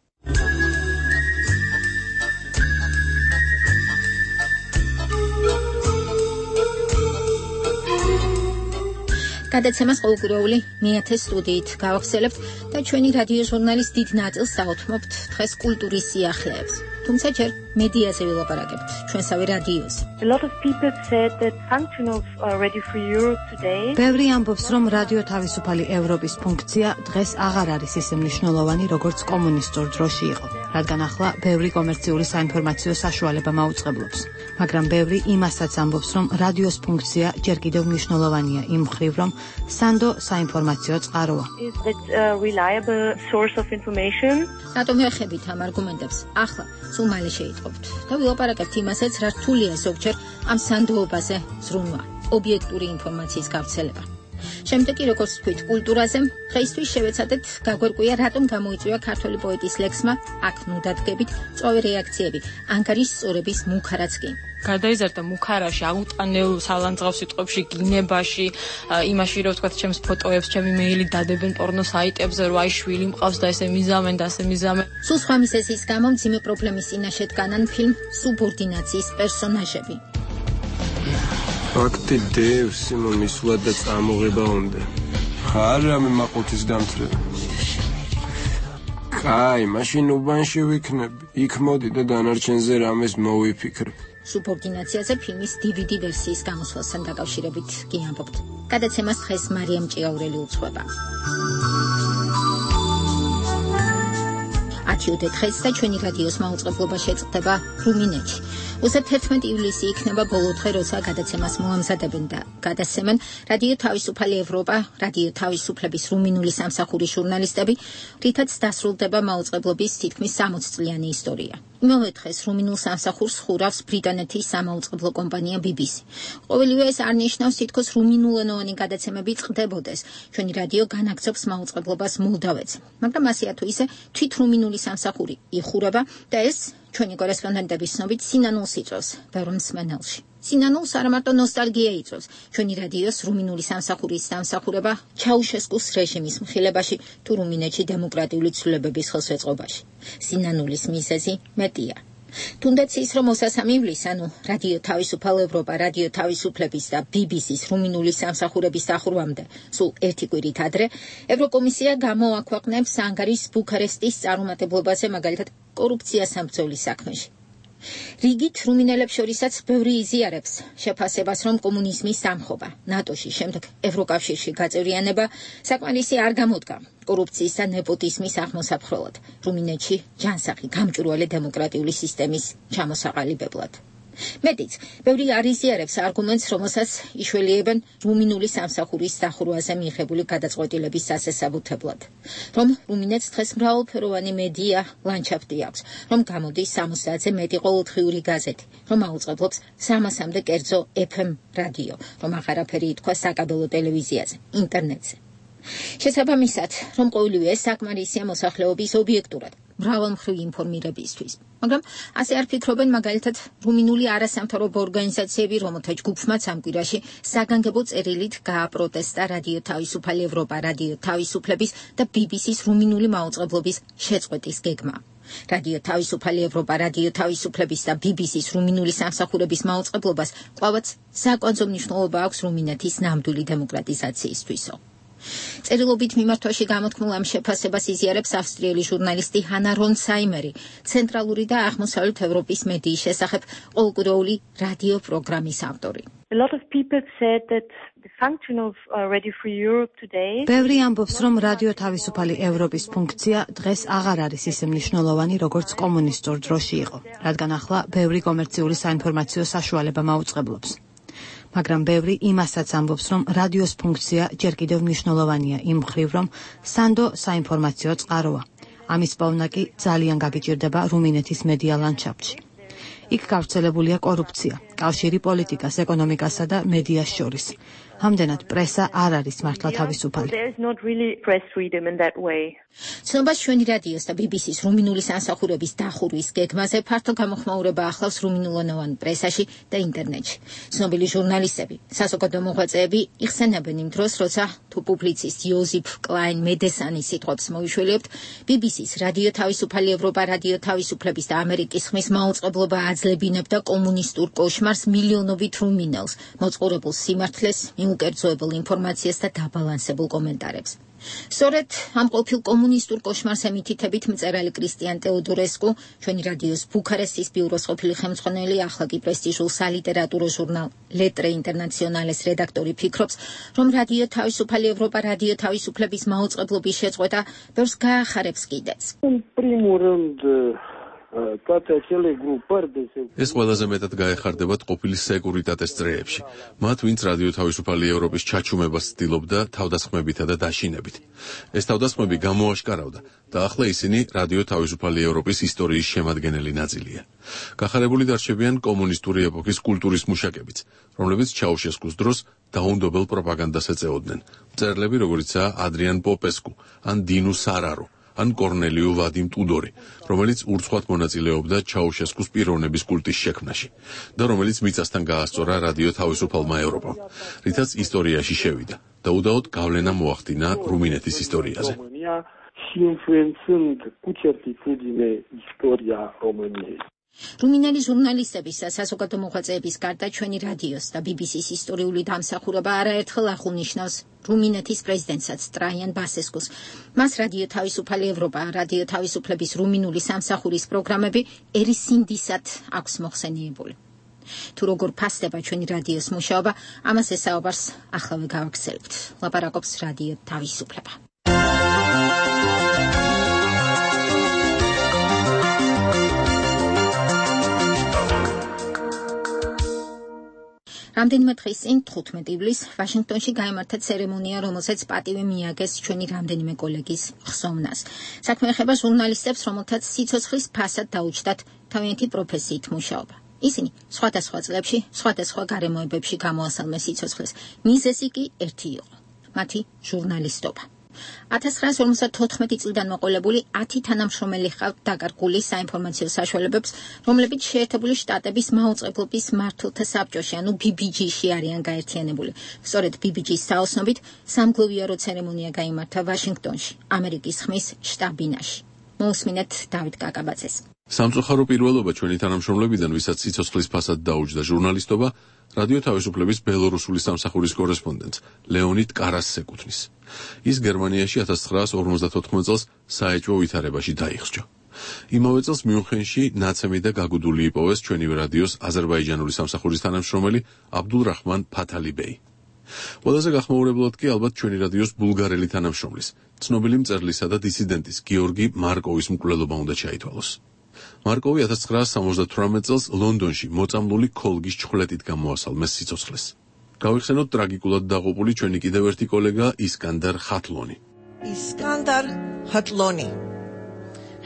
გადაცემას ყოველკვირეული მეათე სტუდიით გავახსენებთ და ჩვენი რადიო ჟურნალის დიდ ნაწილს საუთმობთ დღეს კულტურის სიახლეებს. თუმცა ჯერ მედიაზე ვილაპარაკებთ, ჩვენსავე რადიოზე.
A lot of people said that function of uh, Radio Free Europe today.
ბევრი ამბობს, რომ რადიო თავისუფალი ევროპის ფუნქცია დღეს აღარ არის ისე მნიშვნელოვანი, როგორც კომუნისტურ დროში იყო, რადგან ახლა ბევრი კომერციული საინფორმაციო საშუალება მაუწყებლობს. მაგრამ ბევრი იმასაც ამბობს, რომ რადიოს ფუნქცია ჯერ კიდევ მნიშვნელოვანია იმ მხრივ, რომ სანდო საინფორმაციო წყაროა.
Is that a reliable source of information?
რატომ ეხებით ამ არგუმენტებს? ახლა სულ მალე შეიტყობთ და ვილაპარაკებთ იმასაც, რა რთულია ზოგჯერ ამ სანდოობაზე ზრუნვა, ობიექტური ინფორმაციის გავრცელება. შემდეგ კი როგორც თქვით კულტურაზე, დღეისთვის შევეცადეთ გაგვერკვია რატომ გამოიწვია ქართული პოეტის ლექსმა აქ ნუდადგებით წვავე რეაქციები, ანგარის სწორების მუქარაც კი.
გადაიზარდა მუქარაში, აუტანელ სალანძღავ სიტყვებში, გინებაში, იმაში რომ ვთქვათ, ჩემს ფოტოებს, ჩემი მეილი დადებენ პორნო საიტებზე, რომ აი შვილი მყავს და ესე მიზამენ და ასე მიზამენ.
სულ სხვა მიზეზის გამო მძიმე პრობლემის წინაშე დგანან ფილმ სუბორდინაციის პერსონაჟები.
ფაქტი დევს სიმომისვლა და წამოღება უნდა. ხარ რამე მაყუთის დამცრება. კაი, მაშინ უბანში ვიქნები. იქ მოდი და დანარჩენზე რამეს მოვიფიქრებ.
სუბორდინაციაზე ფილმის დი ვი დი ვერსიის გამოსვლასთან დაკავშირებით კი ამბობთ. გადაცემას დღეს მარიამ ჭიაურელი უძღვება. ათიოდე დღეს და ჩვენი რადიოს მაუწყებლობა შეწყდება რუმინეთში. უსად თერთმეტი ივლისი იქნება ბოლო დღე, როცა გადაცემას მოამზადებენ და გადასცემენ რადიო თავისუფალი ევროპა, რადიო თავისუფლების რუმინული სამსახურის ჟურნალისტები, რითაც დასრულდება მაუწყებლობის თითქმის სამოცი წლიანი ისტორია. იმავე დღეს რუმინულ სამსახურს ხურავს ბრიტანეთის სამაუწყებლო კომპანია ბი ბი სი. ყოველივე ეს არ ნიშნავს თითქოს რუმინულენოვანი გადაცემები წყდებოდეს. ჩვენი რადიო განაგრძობს მაუწყებლობას მოლდავეთს, მაგრამ ასე თუ ისე თვით რუმინული სამსახური იხურება და ეს ჩვენი კორესპონდენტების ცნობით სინანულს იწვევს ბევრ მსმენელში. სინანულს არა მარტო ნოსტალგია იწვევს ჩვენი რადიოს რუმინული სამსახურის დამსახურება ჩაუშესკუს რეჟიმის მხილებაში თუ რუმინეთში დემოკრატიული ცვლილებების ხელშეწყობაში. სინანულის მიზეზი მეტია. თუნდაც ის, რომ ოცდამეტი ივლისს, ანუ რადიო თავისუფალ ევროპა, რადიო თავისუფლების და ბი ბი სის რუმინული სამსახურების დახურვამდე, სულ ერთი კვირით ადრე, ევროკომისია გამოაქვეყნებს ანგარის ბუქარესტის წარუმატებლობაზე, მაგალითად კორუფციას სამბრძოლის საქმეში. რიგით რუმინელებს შორისაც ბევრი იზიარებს შეფასებას, რომ კომუნიზმის დამხობა, ნატოში, შემდეგ ევროკავშირში გაწევრიანება საკმარისი არ გამოდგა კორუფციის და ნეპოტიზმის აღმოსაფხრელად, რუმინეთში ჯანსაღი გამჭვირვალე დემოკრატიული სისტემის ჩამოსაყალიბებლად. მეტიც, ბევრი არ იზიარებს არგუმენტს, რომელსაც იშველიებენ რუმინული სამსახურის დახურვაზე მიიღებული გადაწყვეტილების სასესაბუთებლად, რომ რუმინეთს დღეს მრავალფეროვანი მედია ლანდშაფტი აქვს, რომ გამოდის სამოცდაათზე მეტი ყოველდღიური გაზეთი, რომ აუწყებლობს სამასამდე კერძო ეფ ემ რადიო, რომ აღარაფერი ითქვა საკაბელო ტელევიზიაზე, ინტერნეტზე. შესაბამისად, რომ ყოველივე ეს საკმარისია მოსახლეობის ობიექტურად მრავალმხრივი ინფორმირებისთვის. მაგრამ ასე არ ფიქრობენ მაგალითად რუმინული არასამთავრობო ორგანიზაციები, რომელთა ჯგუფმაც ამ კვირაში საგანგებო წერილით გააპროტესტა რადიო თავისუფალი ევროპა, რადიო თავისუფლების და ბი ბი სის რუმინული მაუწყებლობის შეწყვეტის გეგმა. რადიო თავისუფალი ევროპა, რადიო თავისუფლების და ბი ბი სის რუმინული სამსახურების მაუწყებლობას კვლავაც საკვანძო მნიშვნელობა აქვს რუმინეთის ნამდვილი დემოკრატიზაციისთვისო. წერილობით მიმართვაში გამოთქმულ ამ შეფასებას იზიარებს ავსტრიელი ჟურნალისტი ჰანა რონცაიმერი, ცენტრალური და აღმოსავლეთ ევროპის მედიის შესახებ ყოველკვირეული რადიო პროგრამის ავტორი.
A lot of people said that the function of uh, Radio Free Europe today.
ბევრი ამბობს, რომ რადიო თავისუფალი ევროპის ფუნქცია დღეს აღარ არის ისე მნიშვნელოვანი, როგორც კომუნისტურ დროში იყო, რადგან ახლა ბევრი კომერციული საინფორმაციო საშუალება მაუწყებლობს. მაგრამ ბევრი იმასაც ამბობს, რომ რადიოს ფუნქცია ჯერ კიდევ მნიშვნელოვანია იმ მხრივ, რომ სანდო საინფორმაციო წყაროა. ამის პოვნა კი ძალიან გაგიჭირდება რუმინეთის მედია ლანდშაფტში. იქ გავრცელებულია კორუფცია, კავშირი პოლიტიკას, ეკონომიკასა და მედიას შორის. ამდენად პრესა არ არის მართლა თავისუფალი. ცნობას ჩვენი რადიოს და ბი ბი სის რუმინული სამსახურების დახურვის გეგმაზე ფართო გამოხმაურება ახლავს რუმინულენოვან პრესაში და ინტერნეტში. ცნობილი ჟურნალისტები, საზოგადო მოღვაწეები იხსენებენ იმ დროს, როცა თუ პუბლიცისტ იოზიფ კლაინ მედესანის სიტყვებს მოიშველიებთ, ბი ბი სის რადიო თავისუფალი ევროპა, რადიო თავისუფლების და ამერიკის ხმის მაუწყებლობა აძლებინებდა კომუნისტურ კოშმარს მილიონობით რუმინელს, მოწყურებულ სიმართლეს, მიუკერძოებულ ინფორმაციას და დაბალანსებულ კომენტარებს. სწორედ ამ ყოფილ კომუნისტურ კოშმარს ემითითებით მწერალი კრისტიან ტეოდორესკუ, ჩვენი რადიოს ბუქარესტის ბიუროს ყოფილი ხელმძღვანელი, ახლა კი პრესტიჟულ სალიტერატურო ჟურნალ ლეტრე ინტერნაციონალეს რედაქტორი ფიქრობს, რომ რადიო თავისუფალი ევროპა, რადიო თავისუფლების მაუწყებლობის შეწყვეტა ბევრს გაახარებს კიდეც.
ეს ყველაზე მეტად გაეხარდებათ ყოფილი სეკურიტატეს წრეებში, მათ ვინც რადიო თავისუფალი ევროპის ჩაჩუმებას ცდილობდა თავდასხმებითა და დაშინებით. ეს თავდასხმები გამოაშკარავდა და ახლა ისინი რადიო თავისუფალი ევროპის ისტორიის შემადგენელი ნაწილია. გახარებული დარჩებიან კომუნისტური ეპოქის კულტურის მუშაკებიც, რომლებიც ჩაუშესკუს დროს დაუნდობელ პროპაგანდას ეწეოდნენ. მწერლები როგორიცაა ადრიან პოპესკუ ან დინუ სარარო, ან კორნელიუ ვადიმ ტუდორი, რომელიც ურცხვად მონაწილეობდა ჩაუშესკუს პიროვნების კულტის შექმნაში და რომელიც მიწასთან გაასწორა რადიო თავისუფალმა ევროპამ, რითაც ისტორიაში შევიდა და უდაოდ გავლენა მოახდინა რუმინეთის ისტორიაზე.
რუმინელი ჟურნალისტების და საზოგადო მოღვაწეების გარდა ჩვენი რადიოს და ბი ბი სის ისტორიული დამსახურება არაერთხელ აღუნიშნავს რუმინეთის პრეზიდენტსაც ტრაიან ბასესკუს. მას რადიო თავისუფალი ევროპა, რადიო თავისუფლების რუმინული სამსახურის პროგრამები ერისინდისად აქვს მოხსენიებული. თუ როგორ ფასდება ჩვენი რადიოს მუშაობა, ამას ესაუბარს ახლავე გავაგრძელებთ. ლაპარაკობს რადიო თავისუფლება. რამდენიმე დღის წინ თხუთმეტი ივლისს ვაშინგტონში გაიმართა ცერემონია, რომელსაც პატივი მიაგეს ჩვენი რამდენიმე კოლეგის ხსოვნას. საქმე ეხება ჟურნალისტებს, რომელთაც სიცოცხლის ფასად დაუჯდათ თავიანთი პროფესიით მუშაობა. ისინი სხვადასხვა წლებში, სხვადასხვა გარემოებებში გამოასალმეს სიცოცხლეს. მიზეზი კი ერთი იყო: მათი ჟურნალისტობა. ათას ცხრაას ორმოცდათოთხმეტი წლიდან მოყოლებული ათი თანამშრომელი ჰყავთ დაკარგული საინფორმაციო საშუალებებს, რომლებიც შეერთებული შტატების მაუწყებლობის მმართველთა საბჭოში, ანუ ბი ბი ჯი-ში არიან გაერთიანებული. სწორედ ბი ბი ჯი-ის საოცნობით სამგლოვიარო ცერემონია გაიმართა ვაშინგტონში, ამერიკის ხმის შტაბ-ბინაში. მოусმინეთ დავით კაკაბაძეს.
სამწუხარო პირველობა ჩვენი თანამშრომლებიდან, ვისაც სიცოცხლის ფასად დაუჯდა ჟურნალისტობა, რადიო თავისუფლების ბელორუსული სამსახურის კორესპონდენტს ლეონიდ კარასს ეკუთვნის. ის გერმანიაში ათას ცხრაას ორმოცდათოთხმეტ წელს საეჭვო ვითარებაში დაიხსჯა. იმავე წელს მიუნხენში ნაცემი და გაგუდული იპოვეს ჩვენივე რადიოს აზერბაიჯანული სამსახურის თანამშრომელი აბდულრაჰმან ფათალიბეი. ყველაზე გახმაურებლად კი ალბათ ჩვენი რადიოს ბულგარელი თანამშრომლის, ცნობილი მწერლისა და დისიდენტის გიორგი მარკოვის მკვლელობა უნდა ჩაითვალოს. მარკოვი ათას ცხრაას სამოცდათვრამეტ წელს ლონდონში მოწამლული ქოლგის ჩხვლეტით გამოასალმეს სიცოცხლეს. გავიხსენოთ ტრაგიკულად დაღუპული ჩვენი კიდევ ერთი კოლეგა ისკანდარ ხატლონი.
Iskandar Khatloni.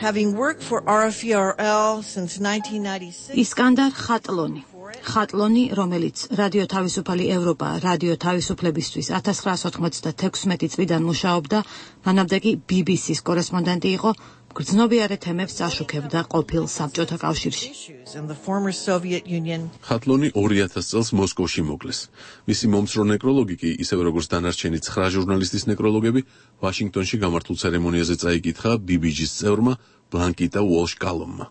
Having worked for R F E R L since nineteen ninety-six.
ისკანდარ ხატლონი. ხატლონი, რომელიც რადიო თავისუფალი ევროპა, რადიო თავისუფლებისთვის ათას ცხრაას ოთხმოცდათექვსმეტი წლიდან მუშაობდა, მანამდე კი ბი ბი სის კორესპონდენტი იყო, გრძნობიარე თემებს წაშუქებდა ყოფილ საბჭოთა კავშირში.
ხატლონი ორი ათას წელს მოსკოვში მოკლეს. მისი მომცრო ნეკროლოგი კი, ისევე როგორც დანარჩენი ცხრა ჟურნალისტის ნეკროლოგები, ვაშინგტონში გამართულ ცერემონიაზე წაიკითხა ბი ბი ჯის წევრმა ბლანკიტა უოლშ-კალომმა.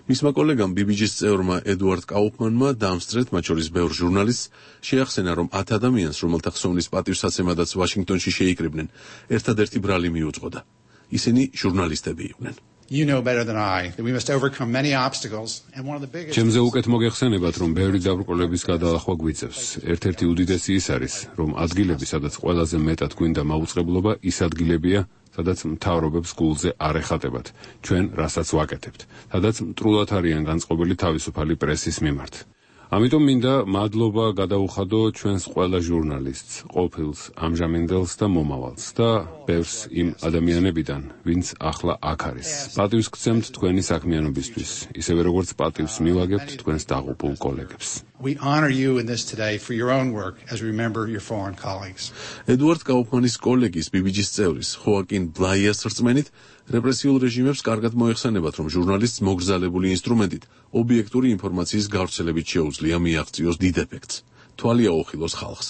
მისმა კოლეგამ ბი ბი ჯის წევრმა ედუარდ კაუფმანმა დაამსწრეთ, მათ შორის ბევრ ჟურნალისტს, შეახსენა, რომ ათ ადამიანს, რომელთა ხსოვნის პატივსაცემადაც ვაშინგტონში შეიკრიბნენ, ერთადერთი ბრალი მიუძღოდა. ისინი ჟურნალისტები იყვნენ.
You know better than I that we must overcome many obstacles and one of the biggest
ჩემზე უკეთ მოგეხსენებათ, რომ ბევრი დაბრკოლების გადალახვა გვიწევს. ერთ-ერთი უდიდესი ის არის, რომ ადგილები, სადაც ყველაზე მეტად გვინდა მაუწყებლობა, ის ადგილებია, სადაც მთავრობებს გულზე არ ეხატებათ ჩვენ რასაც ვაკეთებთ, სადაც მტრულად არიან განწყობილი თავისუფალი პრესის მიმართ. ამიტომ მინდა მადლობა გადაუხადო ჩვენს ყველა ჟურნალისტს, ყოფილს, ამჟამინდელს და მომავალს და ბევრს იმ ადამიანებიდან, ვინც ახლა აქ არის. პატივს გცემთ თქვენი საქმიანობისთვის, ისევე როგორც პატივს მივაგებთ თქვენს დაღუპულ კოლეგებს.
We honor you in this today for your own work as we remember your foreign colleagues.
ედუარდ კაუფმანის კოლეგის ბი ბი ჯის წევრის ხოაკინ ბლაიას რწმენით, რეპრესიულ რეჟიმებს კარგად მოეხსენებათ, რომ ჟურნალისტს მოგრძალებული ინსტრუმენტით ობიექტური ინფორმაციის გავრცელებით შეუძლია მიაღწიოს დიდ ეფექტს, თვალი აუხილოს ხალხს.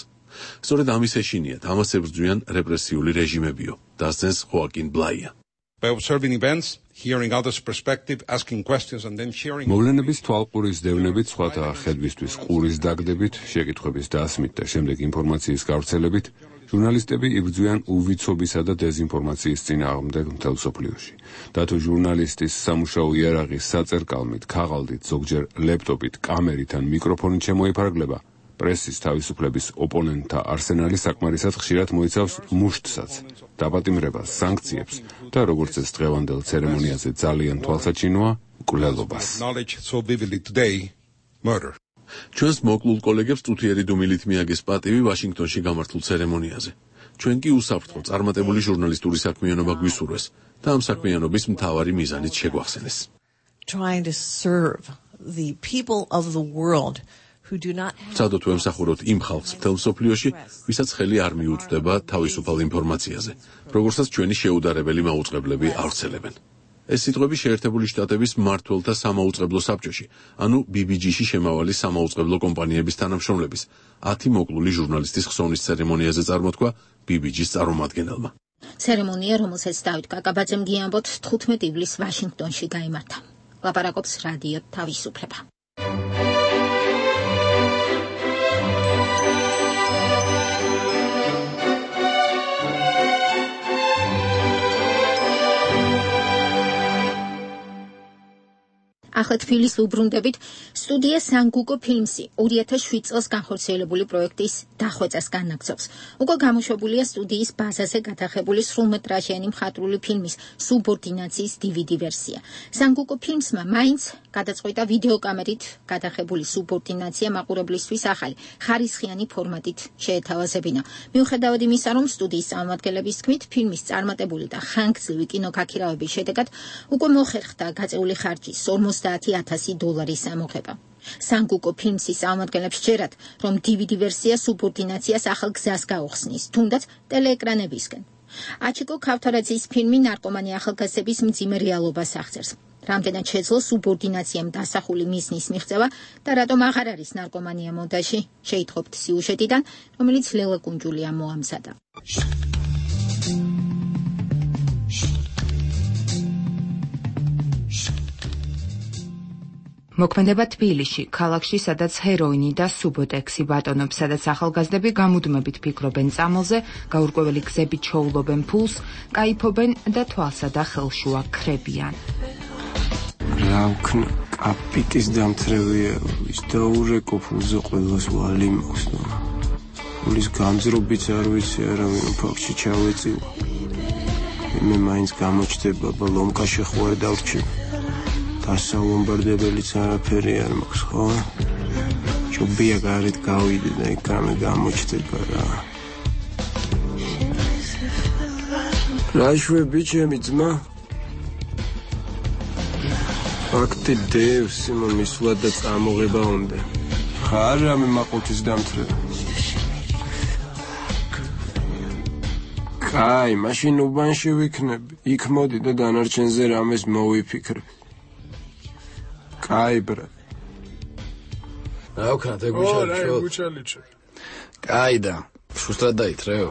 სწორედ ამის ეშინიათ, ამას ებრძვიან რეპრესიული რეჟიმებიო, დასძენს ხოაკინ ბლაია.
By observing events, hearing others' perspective, asking questions and then sharing.
მოვლენების თვალყურის დევნებით, სხვათა ხედვისთვის ყურის დაგდებით, შეკითხვების დასმით და შემდეგ ინფორმაციის გავრცელებით, ჟურნალისტები იბრძვიან უვიცობისა და დეზინფორმაციის წინააღმდეგ მთელ მსოფლიოში. და თუ ჟურნალისტის სამუშაო იარაღის საწერკალმით, ქაღალდით, ზოგჯერ ლეპტოპით, კამერით ან მიკროფონით შემოიფარგლება, პრესის თავისუფლების ოპონენტთა არსენალი საკმარისად ხშირად მოიცავს მუშტსაც, დაპატიმრებას, სანქციებს და როგორც ეს დღევანდელ ცერემონიაზე ძალიან თვალსაჩინოა, მკვლელობას.
ჩვენს მოკლულ კოლეგებს წუთიერი დუმილით მიაგეს პატივი ვაშინგტონში გამართულ ცერემონიაზე. ჩვენ კი უსაფრთხო წარმატებული ჟურნალისტური საქმიანობა გვისურვეს და ამ საქმიანობის მთავარი მიზანით შეგვახსენეს.
Trying to serve the people of the world who do not have
ცადოთ ვემსახუროთ იმ ხალხს მთელ მსოფლიოში, ვისაც ხელი არ მიუწვდება თავისუფალ ინფორმაციაზე, როგორცაც ჩვენი შეუდარებელი მაუწყებლები ავრცელებენ. ეს სიტყვები შეერთებული შტატების მმართველთა სამაუწყებლო საბჭოში, ანუ ბი ბი ჯი-ში შემავალი სამაუწყებლო კომპანიების თანამშრომლების, ათი მოკლული ჟურნალისტის ხსოვნის ცერემონიაზე წარმოთქვა ბი ბი ჯის წარმომადგენელმა.
ცერემონია, რომელსაც დავით კაკაბაძემ გიამბოთ, თხუთმეტი ივლისს ვაშინგტონში გაიმართა. ლაპარაკობს რადიო თავისუფლება. ახლა თბილისს უბრუნდებით. სტუდია სანგუკო ფილმსი ორი ათას შვიდ წელს განხორციელებული პროექტის დახვეწას განაგრძობს. უკვე გამოშვებულია სტუდიის ბაზაზე გადაღებული სრულმეტრაჟიანი მხატვრული ფილმის სუბორდინაციის დი ვი დი ვერსია. სანგუკო ფილმსმა მაინც გადაწყვიტა ვიდეოკამერით გადაღებული სუბორდინაცია მაყურებლისთვის ახალი ხარისხიანი ფორმატით შეეთავაზებინა. მიუხედავად იმისა, რომ სტუდიის წარმომადგენლების თქმით, ფილმის წარმატებული და ხანგრძლივი კინოქაქირავების შედეგად უკვე მოხერხდა გაწეული ხარჯის ორმოცდაათი ათასი დოლარის ამოღება. სანგუკო ფილმსის წარმომადგენლებს ჯერათ, რომ დი ვი დი ვერსია სუბორდინაციას ახალ გზას გაუხსნის, თუნდაც ტელეეკრანებისკენ. აჩიკო ქავთარაძის ფილმი ნარკომანი ახალგაზრდების მძიმე რეალობას აღწერს. რამდენად შეძლო სუბორდინაციამ დასახული მიზნის მიღწევა და რატომ აღარ არის ნარკომანია მონტაჟი, შეითხოვთ სიუჟეტიდან, რომელიც ლელა კუნჯულიამ მოამზადა.
მოქმედება თბილისში, ქალაქში, სადაც ჰეროინი და სუბოტექსი ბატონობს, სადაც ახალგაზრდები გამუდმებით ფიქრობენ წამალზე, გაურკვეველი გზებით ჩოულობენ ფულს, კაიფობენ და თვალსა და ხელშუა ქრებიან.
რა ვქნა, კაპიტის დამთრევია, ის დაურეკო ფულზე ყველას ვალი მაქვს. ფულის გამძრობიც არ ვიცი, არავინ ფაქტში ჩავეწივა. მე მაინც გამოჩდება, ბოლომკა შეხვარ დავრჩი. დასალომბარდებელიც არაფერი არ მაქვს, ხო? ჯობია გარეთ გავიდე და ეკრანი გამოჩდება რა. რა შვები ჩემი ძმა? ფაქტი დევს იმან მისვლა და წამოღება უნდა. ხარ რამე მაყუთის დამთრევა. კაი, მაშინ უბანში ვიქნები. იქ მოდი და დანარჩენზე რამეს მოვიფიქრებ. კაი ბრა.
რა ვქნა თეგუჩალიჩო. კაი და შუსტრად დაითრეო.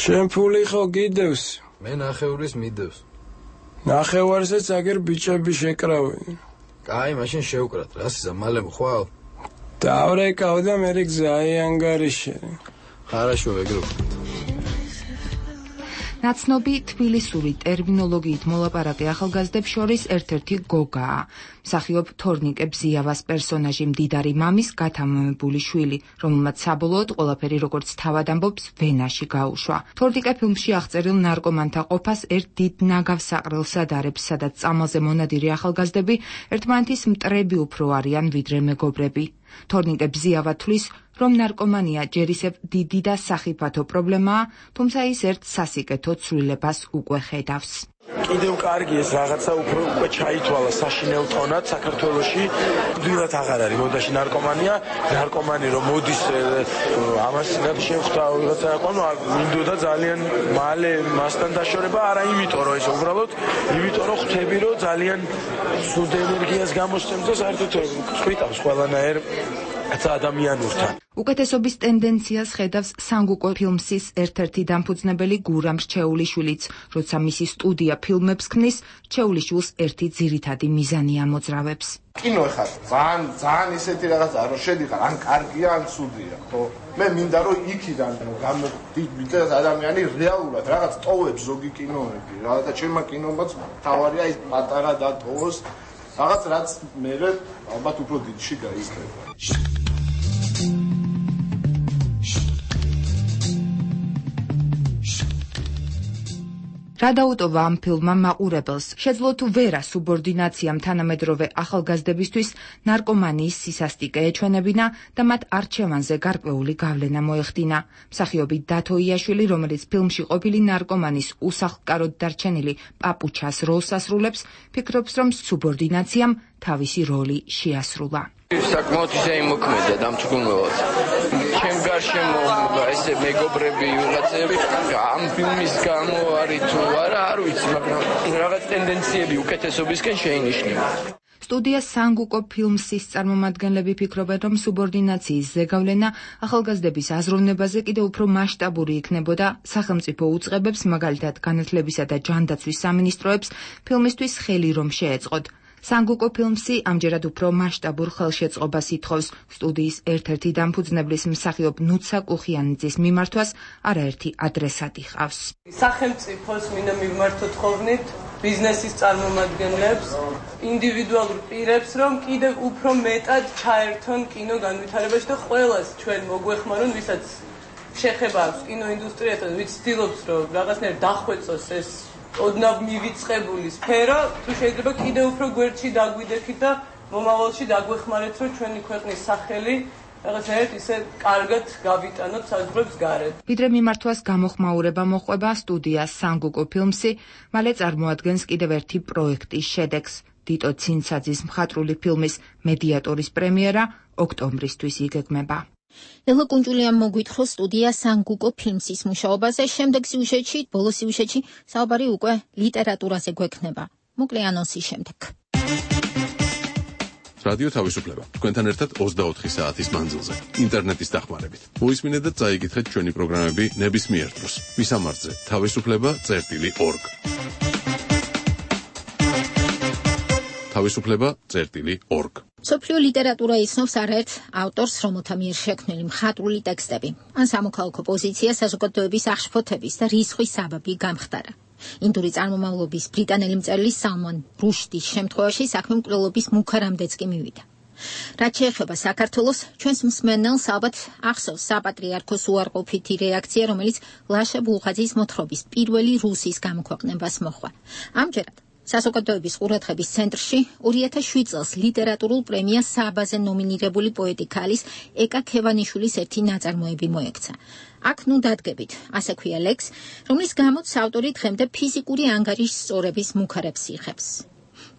ჩემ ფული ხო გიდევს?
მე ნახევრის მიდევს.
ნახევარსაც აგერ ბიჭები შეკრავენ.
კაი, მაშინ შევკრათ. რა სიზა მალე მოხვალ?
დავრეკავ და მე გზაი ანგარიში.
ხარაშო ეგრე.
ნაცნობი თბილისური ტერმინოლოგიით მოლაპარაკე ახალგაზრდებს შორის ერთ-ერთი გოგაა. მსახიობ თორნიკე ბზიავას პერსონაჟი მდიდარი მამის გათამამებული შვილი, რომელმაც საბოლოოდ ყველაფერი როგორც თავად ამბობს ვენაში გაუშვა. თორნიკე ფილმში აღწერილ ნარკომანთა ყოფას ერთ დიდ ნაგავს საყრელს ადარებს, სადაც წამალზე მონადირი ახალგაზრდები ერთმანეთის მტრები უფრო არიან ვიდრე მეგობრები. თორნიკე ბზიავა თვლის, რომ ნარკომანია ჯერ ისევ დიდი და სახიფათო პრობლემაა, თუმცა ის ერთ სასიკეთო ცვლილებას უკვე ხედავს.
კიდევ კარგი ეს რაღაცა უფრო უკვე ჩაითვალა საშინელ ტონად საქართველოში. დიდად აღარ არის მოდაში ნარკომანია, ნარკომანი რომ მოდის ამას რაც შევხვდა ვიღაცა ყანო მინდოდა ძალიან მალე მასთან დაშორება, არა იმიტომ რომ ეს უბრალოდ იმიტომ რომ ხვდები რომ ძალიან სულ ენერგიას გამოსცემს და საერთოდ ხვიტავს ყველანაირ ადამიანურთან.
უკეთესობის ტენდენციას ხედავს სანგუკო ფილმსის ერთ-ერთი დამფუძნებელი გურამ რჩეულიშვილიც, როცა მისი სტუდია ფილმებს ქმნის, რჩეულიშვილს ერთი ძირითადი მიზანი ამოძრავებს.
კინო ეხლა ძალიან ძალიან ისეთი რაღაცა რომ შედიხარ, ან კარგია, ან ცუდია, ხო? მე მინდა რომ იქიდან გამოდიდეს ადამიანი რეალურად რაღაც ტოვებს ზოგი კინოები, რაღაცა ჩემმა კინომაც თავარია ის პატარა და ტოვოს, რაღაც რაც მე ალბათ უფრო დიდში გაიქნება.
რა დაუტოვა ამ ფილმმა მაყურებელს? შეძლო თუ ვერა სუბორდინაციამ თანამედროვე ახალგაზრდებისთვის ნარკომანიის სისასტიკე ეჩვენებინა და მათ არჩევანზე გარკვეული გავლენა მოეხდინა. მსახიობი დათო იაშვილი, რომელიც ფილმში ყოფილი ნარკომანის უსახლკაროდ დარჩენილი პაპუჩას როლს ასრულებს, ფიქრობს, რომ სუბორდინაციამ თავისი როლი შეასრულა.
საკმაოდ ისე იმოქმედა დამწუხრებლად. ჩემ გარშემო ესე მეგობრები ვიღაცები ამ ფილმის გამო არის თუ არა არ ვიცი, მაგრამ რაღაც ტენდენციები უკეთესობისკენ შეინიშნება.
სტუდია სანგუკო ფილმსის წარმომადგენლები ფიქრობენ, რომ სუბორდინაციის ზეგავლენა ახალგაზრდების აზროვნებაზე კიდევ უფრო მასშტაბური იქნებოდა სახელმწიფო უწყებებს, მაგალითად განათლებისა და ჯანდაცვის სამინისტროებს, ფილმისთვის ხელი რომ შეეწყოთ. სანგუკო ფილმსი ამჯერად უფრო მასშტაბურ ხელშეწყობას ითხოვს. სტუდიის ერთ-ერთი დამფუძნებლის მსახიობ ნუცა კუხიანიძის მიმართვას არაერთი ადრესატი ჰყავს.
სახელმწიფოს მინდა მივმართოთ ხოვნით
ბიზნესის წარმომადგენლებს, ინდივიდუალურ პირებს, რომ კიდევ უფრო მეტად ჩაერთონ კინო განვითარებაში და ყველას ჩვენ მოგვეხმარონ, ვისაც შეხება აქვს კინოინდუსტრიასთან, ვიც ცდილობს, რომ რაღაცნაირად დახვეწოს ეს ოდნავ მივიწყებული სფერო, თუ შეიძლება კიდევ უფრო გვერდში დაგვიდექით და მომავალში დაგვეხმარეთ, რომ ჩვენი ქვეყნის სახელი რაღაცნაირად ისე კარგად გავიტანოთ საზღვრებს გარეთ.
ვიდრე მიმართვას გამოხმაურება მოყვება სტუდია სანგუკო ფილმსი, მალე წარმოადგენს კიდევ ერთი პროექტის შედეგს. დიტო ცინცაძის მხატვრული ფილმის მედიატორის პრემიერა ოქტომბრისთვის იგეგმება.
ელო კუნჯულიამ მოგვითხროს სტუდია სანგუკო ფილმსის მუშაობაზე, შემდეგ სიუჟეტში, ბოლო სიუჟეტში საუბარი უკვე ლიტერატურაზე გვექნება. მოკლე ანონსი შემდეგ.
რადიო თავისუფლება. თქვენთან ერთად ოცდაოთხი საათის მანძილზე, ინტერნეტის დახმარებით. მოისმინეთ და წაიკითხეთ ჩვენი პროგრამები ნებისმიერ დროს. მისამართზე თავისუფლება წერტილი ორგ. თავისუფლება წერტილი ორგ.
სოფლიო ლიტერატურა იცნობს არაერთ ავტორს, რომელთა მიერ შექმნილი მხატვრული ტექსტები, ან სამოქალაქო პოზიცია საზოგადოების აღშფოთების და რისხვის საბაბი გამხდარა. ინდური წარმომავლობის ბრიტანელი მწერალი სალმან რუშდის შემთხვევაში საქმე მკვლელობის მუქარამდეც კი მივიდა. რაც შეეხება საქართველოს, ჩვენს მსმენელს ალბათ ახსოვს საპატრიარქოს უარყოფითი რეაქცია, რომელიც ლაშა ბულღაძის მოთხრობის პირველი რუსის გამოქვეყნებას მოჰყვა. ამჯერად საზოგადოების ყურადღების ცენტრში ორი ათას შვიდ წელს ლიტერატურულ პრემიას სააბაზე ნომინირებული პოეტი ქალის ეკა ქევანიშვილის ერთი ნაწარმოები მოექცა. აქ ნუ დადგებით, ასე ქვია ლექს, რომლის გამოც ავტორი დღემდე ფიზიკური ანგარიშის სწორების მუქარებს იღებს.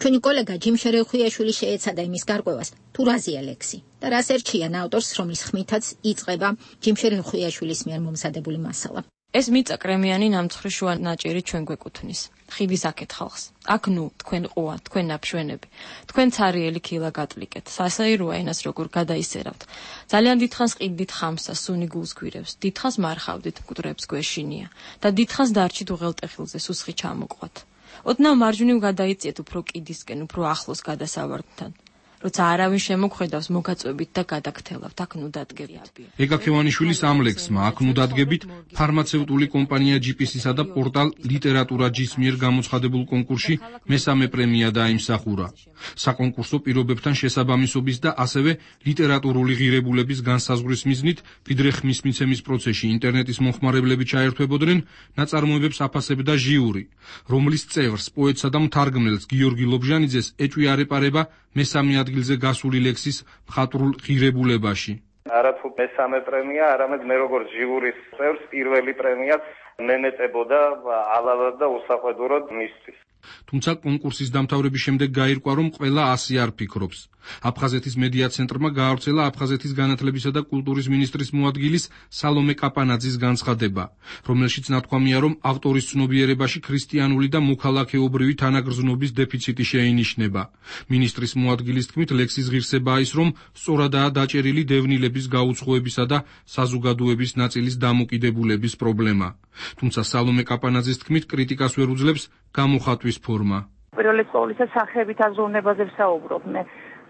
ჩვენი კოლეგა ჯიმ შერეხვიაშვილი შეეცადა იმის გარკვევას, თუ რაზეა ლექსი და რას ერჩიან ავტორს, რომლის ხმითაც იწყება ჯიმ შერეხვიაშვილის მიერ მომზადებული მასალა.
ეს მიწა კრემიანი ნამცხვრი შუა ნაჭერი ჩვენ გვეკუთვნის. ხიდის აქეთ ხალხს. აქ ნუ თქვენ ყუა, თქვენ ნაფშვენები. თქვენ цаრიელი ქილა გატლიკეთ. სასაიროა ენას როგორ გადაისერავთ. ძალიან დიდხანს ყიდით ხამსა, სუნი გულს გვირევს. დიდხანს მარხავდით, მკვდრებს გვეშინია და დიდხანს დარჩით უღელტეხილზე სუსხი ჩამოყვათ. ოდნავ მარჯვნივ გადაიწიეთ უფრო კიდისკენ, უფრო ახლოს გადასავარდთან. როცა არავინ შემოგხედავს, მოგაწვევით და გადაგთელავთ, აქ ნუ დადგებით.
ეკა ქევანიშვილის ამ ლექსმა აქ ნუ დადგებით ფარმაცევტული კომპანია ჯი პი სი-სა და პორტალ ლიტერატურა ჯის მიერ გამოცხადებულ კონკურსში მესამე პრემია დაიმსახურა. საკონკურსო პირობებთან შესაბამისობის და ასევე ლიტერატურული ღირებულების განსაზღვრის მიზნით ვიდრე ხმის მიცემის პროცესში ინტერნეტის მომხმარებლები ჩაერთვებოდნენ, ნაწარმოებებს აფასებდა ჟიური, რომლის წევრს, პოეტსა და მთარგმნელს გიორგი ლობჟანიძეს ეჭვი არ ეპარება მესამე ადგილზე გასული ლექსის მხატვრულ ღირებულებაში.
არათუ მესამე პრემია, არამედ მე როგორც ჟიურის წევრს პირველი პრემიაც მენეწებოდა ალალად და უსაყვედუროდ მისთვის.
თუმცა კონკურსის დამთავრების შემდეგ გაირკვა, რომ ყველა ასე არ ფიქრობს. აფხაზეთის მედია ცენტრმა გაავრცელა აფხაზეთის განათლებისა და კულტურის მინისტრის მოადგილის სალომე კაპანაძის განცხადება, რომელშიც ნათქვამია, რომ ავტორის ცნობიერებაში ქრისტიანული და მოქალაქეობრივი თანაგრძნობის დეფიციტი შეინიშნება. მინისტრის მოადგილის თქმით, ლექსის ღირსებაა ის, რომ სწორადაა დაჭერილი დევნილების გაუცხოებისა და საზოგადოების ნაწილის დამოკიდებულების პრობლემა. თუმცა სალომე კაპანაძის თქმით, კრიტიკას ვერ უძლებს გამოხატვის ფორმა.
პირველი ყოვლისა სახეებით აზროვნებაზე ვსაუბრობ მე.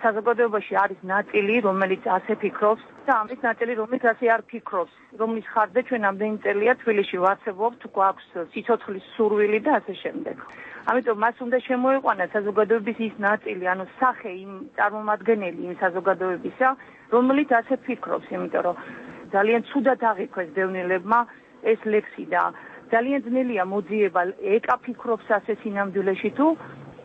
საზოგადოებაში არის ნაწილი, რომელიც ასე ფიქრობს და ამის ნაწილი, რომელიც ასე არ ფიქრობს, რომლის ხარჯზე ჩვენ ამდენი წელია თბილისში ვარსებობთ, გვაქვს სიცოცხლის სურვილი და ასე შემდეგ. ამიტომ მას უნდა შემოიყვანა საზოგადოების ის ნაწილი, ანუ სახე იმ წარმომადგენელი იმ საზოგადოებისა, რომელიც ასე ფიქრობს, იმიტომ რომ ძალიან ცუდად აღიქვეს დევნილებმა ეს ლექსი და ძალიან ძნელია მოძიება ეკა ფიქრობს ასე სინამდვილეში თუ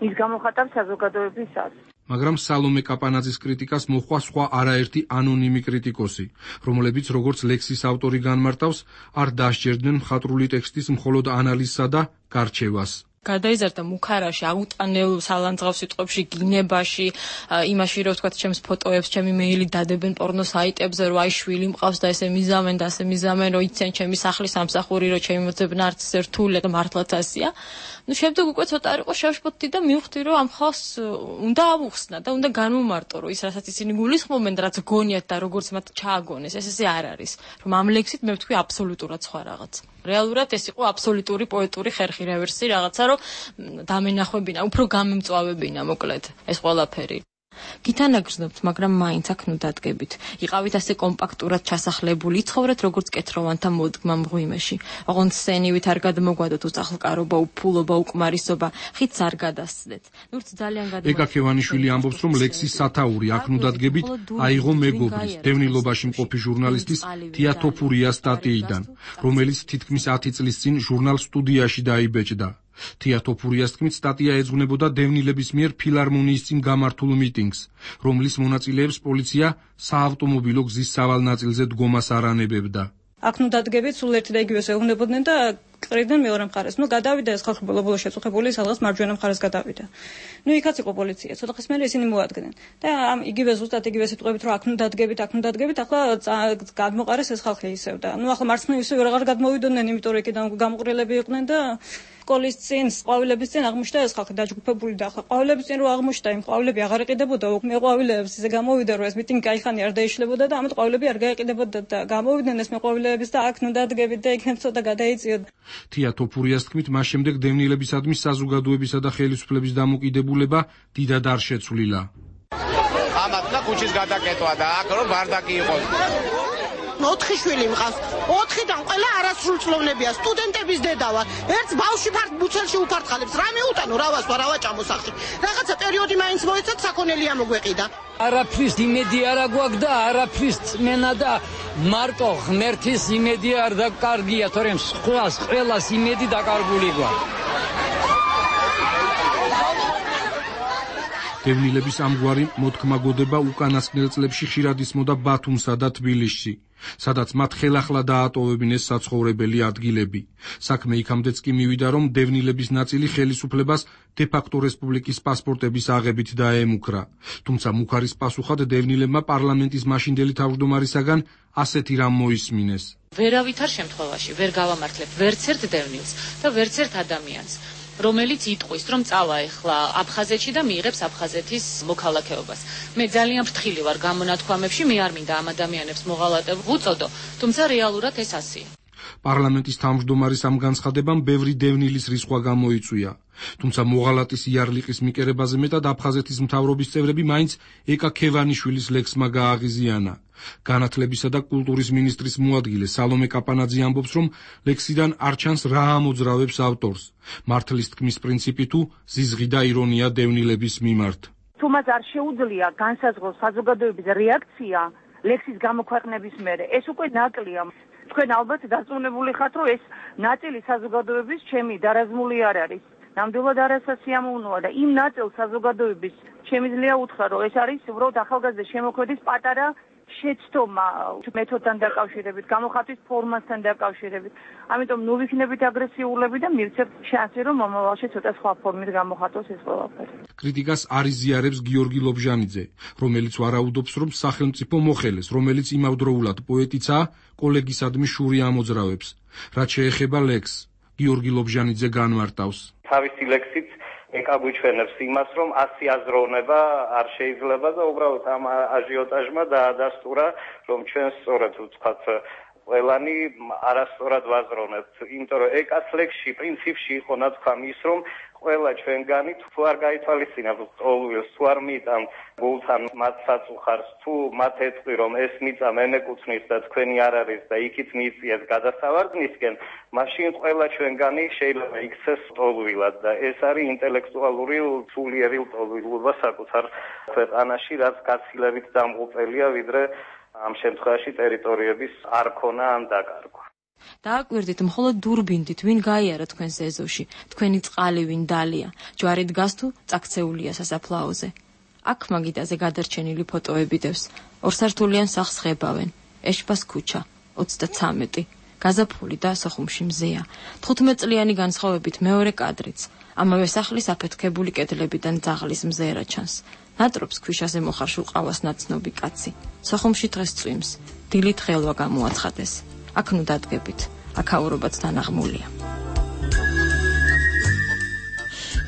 ის გამოხატავს საზოგადოებისას.
მაგრამ სალომე კაპანაძის კრიტიკას მოჰყვა სხვა არაერთი ანონიმი კრიტიკოსი, რომლებიც როგორც ლექსის ავტორი განმარტავს, არ დასჯერდნენ მხატვრული ტექსტის მხოლოდ ანალიზსა და გარჩევას.
გადაიზარდა მუქარაში, აუტანელ სალანძღავ სიტყვებში, გინებაში, იმაში რომ ვთქვათ, ჩემს ფოტოებს, ჩემი მეილი დადებენ პორნო საიტებზე, რომ აი შვილი მყავს და ესე მიზამენ და ასე მიზამენ, რომ იციან ჩემი სახლის სამსახური, რომ ჩემი მოძებნა არც ერთული და მართლაც ასია. ნუ შემდეგ უკვე ცოტა არ იყო შევშფოთდი და მივხვდი, რომ ამ ხალხს უნდა ავუხსნა და უნდა განვმარტო, რომ ის რასაც ისინი გულისხმობენ და რაც გონიათ და როგორც მათ ჩააგონეს, ეს ესე არ არის. რომ ამ ლექსით მე ვთქვი აბსოლუტურად სხვა რაღაც. რეალურად ეს იყო აბსოლუტური პოეტური ხერხი რევერსი, რაღაცა რომ დამენახვებინა, უფრო გამემწვავებინა მოკლედ ეს ყველაფერი. გითანაგრძნობთ, მაგრამ მაინც აქ ნუ დადგებით. იყავით ასე კომპაქტურად ჩასახლებული, იცხოვრეთ როგორც კეთროვანთა მოდგმა მღვიმეში. ოღონდ სენივით არ გადმოგვადოთ უწახლკარობა, უფულობა, უკმარისობა, ხიდს არ გადასცდეთ. ნურც ძალიან გადმოგვადოთ.
ეკა ქევანიშვილი ამბობს, რომ ლექსის სათაური აქ ნუ დადგებით აიღო მეგობრის, დევნილობაში მყოფი ჟურნალისტის თია თოფურიას სტატიიდან, რომელიც თითქმის ათი წლის წინ ჟურნალ სტუდიაში დაიბეჭდა. თია თოფურიას თქმით, სტატია ეძღვნებოდა დევნილების მიერ ფილარმონიის წინ გამართულ მიტინგს, რომლის მონაწილეებს პოლიცია საავტომობილო გზის სავალ ნაწილზე დგომას არ ანებებდა.
აქ ნუ დადგებით, სულ ერთი და იგივეს ეუბნებოდნენ და ყრიდნენ მეორე მხარეს. ნუ გადავიდა ეს ხალხი ბოლო-ბოლო შეწუხებული, სადღაც მარჯვენა მხარეს გადავიდა. ნუ იქაც იყო პოლიცია, ცოტა ხის მერე ისინი მოადგნენ. და ამ იგივე ზუსტად იგივე სიტყვებით რომ აქ ნუ დადგებით, აქ ნუ დადგებით, ახლა გადმოყარეს ეს ხალხი ისევ და ნუ ახლა მარცხნივ ისევ აღარ გადმოვიდოდნენ, იმიტომ რომ იქიდან გამოყრილები იყვნენ და სკოლის წინ, ყვავილების წინ აღმოჩნდა ეს ხალხი დაჯგუფებული და ახლა ყვავილების წინ რო აღმოჩნდა, იმ ყვავილები აღარ იყიდებოდა, მე ყვავილებს ისე გამოვიდა რომ ეს მიტინგი кайხანი არ დაიშლებოდა და ამით ყვავილები არ გაიყიდებოდა და გამოვიდნენ ეს მე ყვავილების და აქ ნუ დადგებით და იქნებ ცოტა გადაიწიოთ.
თია თოფურიას თქმით, მას შემდეგ დევნილებისადმი საზოგადოებისა და ხელისუფლების დამოკიდებულება დიდად არ შეცვლილა.
ამათ და ქუჩის გადაკეტვა და აქ რომ ბარდაკი იყოს. ოთხი შვილი მყავს. ოთხიდან ყველა არასრულწლოვნებია, სტუდენტების დედა ვარ. ერთს ბავშვი ფართ ბუცელში უფართხალებს. რა მეუტანო, რა ვასვა, რა ვაჭამო სახში. რაღაცა პერიოდი მაინც მოეცათ, საქონელი ამოგვეყიდა.
არაფრის იმედი არ აგვაქვს და არაფრის წმენა და მარტო ღმერთის იმედი არ დაკარგია, თორემ სხვას ყველას იმედი დაკარგული გვაქვს.
დევნილების ამგვარი მოთქმაგოდება უკანასკნელ წლებში ხშირად ისმოდა ბათუმსა და თბილისში, სადაც მათ ხელახლა დაატოვებინეს საცხოვრებელი ადგილები. საქმე იქამდეც კი მივიდა, რომ დევნილების ნაწილი ხელისუფლებას დე-ფაქტო რესპუბლიკის პასპორტების აღებით დაემუქრა. თუმცა მუქარის პასუხად დევნილებმა პარლამენტის მაშინდელი თავმჯდომარისაგან ასეთი რამ მოისმინეს.
ვერავითარ შემთხვევაში ვერ გავამართლებთ ვერც ერთ დევნილს და ვერც ერთ ადამიანს, რომელიც იტყვის, რომ წავა ეხლა აფხაზეთში და მიიღებს აფხაზეთის მოქალაქეობას. მე ძალიან ფრთხილი ვარ გამონათქვამებში, მე არ მინდა ამ ადამიანებს მოღალატებ ვუწოდო, თუმცა რეალურად ეს ასეა.
პარლამენტის თავმჯდომარის ამ განცხადებამ ბევრი დევნილის რისხვა გამოიწვია. თუმცა მოღალატის იარლიყის მიკერებაზე მეტად აფხაზეთის მთავრობის წევრები მაინც ეკა ქევანიშვილის ლექსმა გააღიზიანა. განათლებისა და კულტურის მინისტრის მოადგილე სალომე კაპანაძე ამბობს, რომ ლექსიდან არ ჩანს რა ამოძრავებს ავტორს. მართლის თქმის პრინციპი თუ ზიზღი და ირონია დევნილების მიმართ.
თუ მას არ შეუძლია განსაზღვროს საზოგადოების რეაქცია ლექსის გამოქვეყნების მერე, ეს უკვე ნაკლია. თქვენ ალბათ დარწმუნებული ხართ, რომ ეს ნაწილი საზოგადოების ჩემი დარაზმული არ არის. ნამდვილად არასასიამოვნოა და იმ ნაწილ საზოგადოების შემიძლია უთხრა, რომ ეს არის უბრალოდ ახალგაზრდა შემოქმედის პატარა შეცდომა მეთოდთან დაკავშირებით, გამოხატვის ფორმასთან დაკავშირებით. ამიტომ ნუ ვიქნებით აგრესიულები და მივცემთ შანსი, რომ მომავალში ცოტა სხვა ფორმით გამოხატოს ეს ყველაფერი.
კრიტიკას არ იზიარებს გიორგი ლობჟანიძე, რომელიც ვარაუდობს, რომ სახელმწიფო მოხელეს, რომელიც იმავდროულად პოეტიცაა, კოლეგისადმი შური ამოძრავებს. რაც შეეხება ლექსს, გიორგი ლობჟანიძე განმარტავს.
თავისი ლექსით ეკაგვიჩვენებს იმას, რომ ასი აზროვნება არ შეიძლება და უბრალოდ ამ აჟიოტაჟმა დაადასტურა, რომ ჩვენ სწორად ვთქვათ, ყველანი არასწორად ვაზროვნებთ. იმიტომ რომ ეკას ლექსში პრინციპში იყო ნათქვამი ის, რომ ყველა ჩვენგანი თუ არ გაითვალისწინებთ ყოველს, თუ არ მიტან გულთან მათ საწუხარს, თუ მათ ეთყვი, რომ ეს მიწა მე მეკუთვნის და თქვენი არ არის და იქით მიიწიეთ გადასავარდნისკენ, მაშინ ყველა ჩვენგანი შეიძლება იქცეს ტოლვილად და ეს არის ინტელექტუალური სულიერი ტოლვილობა საკუთარ ქვეყანაში, რაც გაცილებით დამღუპელია, ვიდრე ამ შემთხვევაში ტერიტორიების არ ქონა ან დაკარგვა.
დააკვირდით, მხოლოდ დურბინდით, ვინ გაიარა თქვენს ეზოში, თქვენი წყალი ვინ დალია, ჯვარი დგას თუ წაქცეულია სასაფლაოზე. აქ მაგიდაზე გადარჩენილი ფოტოები დევს, ორსართულიან სახლს ხებავენ, ეშპას ქუჩა, ოცდაცამეტი, გაზაფხული და სოხუმში მზეა, თხუთმეტწლიანი განსხვავებით მეორე კადრიც, ამავე სახლის აფეთქებული კედლებიდან ძაღლის მზერა ჩანს. ნატრობს ქვიშაზე მოხარშულ ყავას ნაცნობი კაცი, სოხუმში დღეს წვიმს, დილით ხელვა გამოაცხადეს. აქ ნუ დადგებით, აქაურობაც დანაღმულია.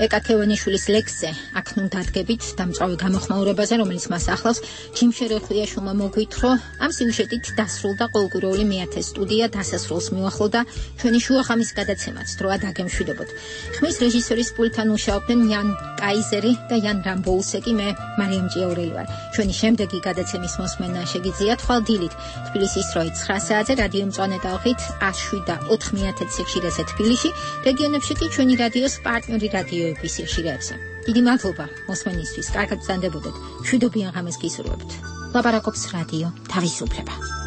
ეკა ქევანიშვილის ლექსზე აქ ნუ დადგებით დამწვავი გამოხმაურებაზე, რომელიც მას ახლავს. ჯიმშე რეხვიაშვილმა მოგვითხრა, ამ სიუჟეტით დასრულდა ყოველკვირეული მეათე სტუდია დასასრულს მიუახლოვდა ჩვენი შუახამის გადაცემაც დროა დაგემშვიდობოთ. ხმის რეჟისორის პულტთან მუშაობდნენ იან კაიზერი და იან რამბოუსეკი, მე მარიამ ჭიაურელი ვარ. ჩვენი შემდეგი გადაცემის მოსმენა შეგიძლიათ ხვალ დილით თბილისის დროით ცხრა საათზე რადიო მწვანე ტალღით ათს შვიდ და ოთხ მეათე სიხშირეზე თბილისში, რეგიონებში კი ჩვენი რადიოს პარტნიორი რადიოების სიხშირეებზე. დიდი მადლობა მოსმენისთვის, კარგად ბრძანდებოდეთ. მშვიდობიან ღამეს გისურვებთ. ლაპარაკობს რადიო თავისუფლება.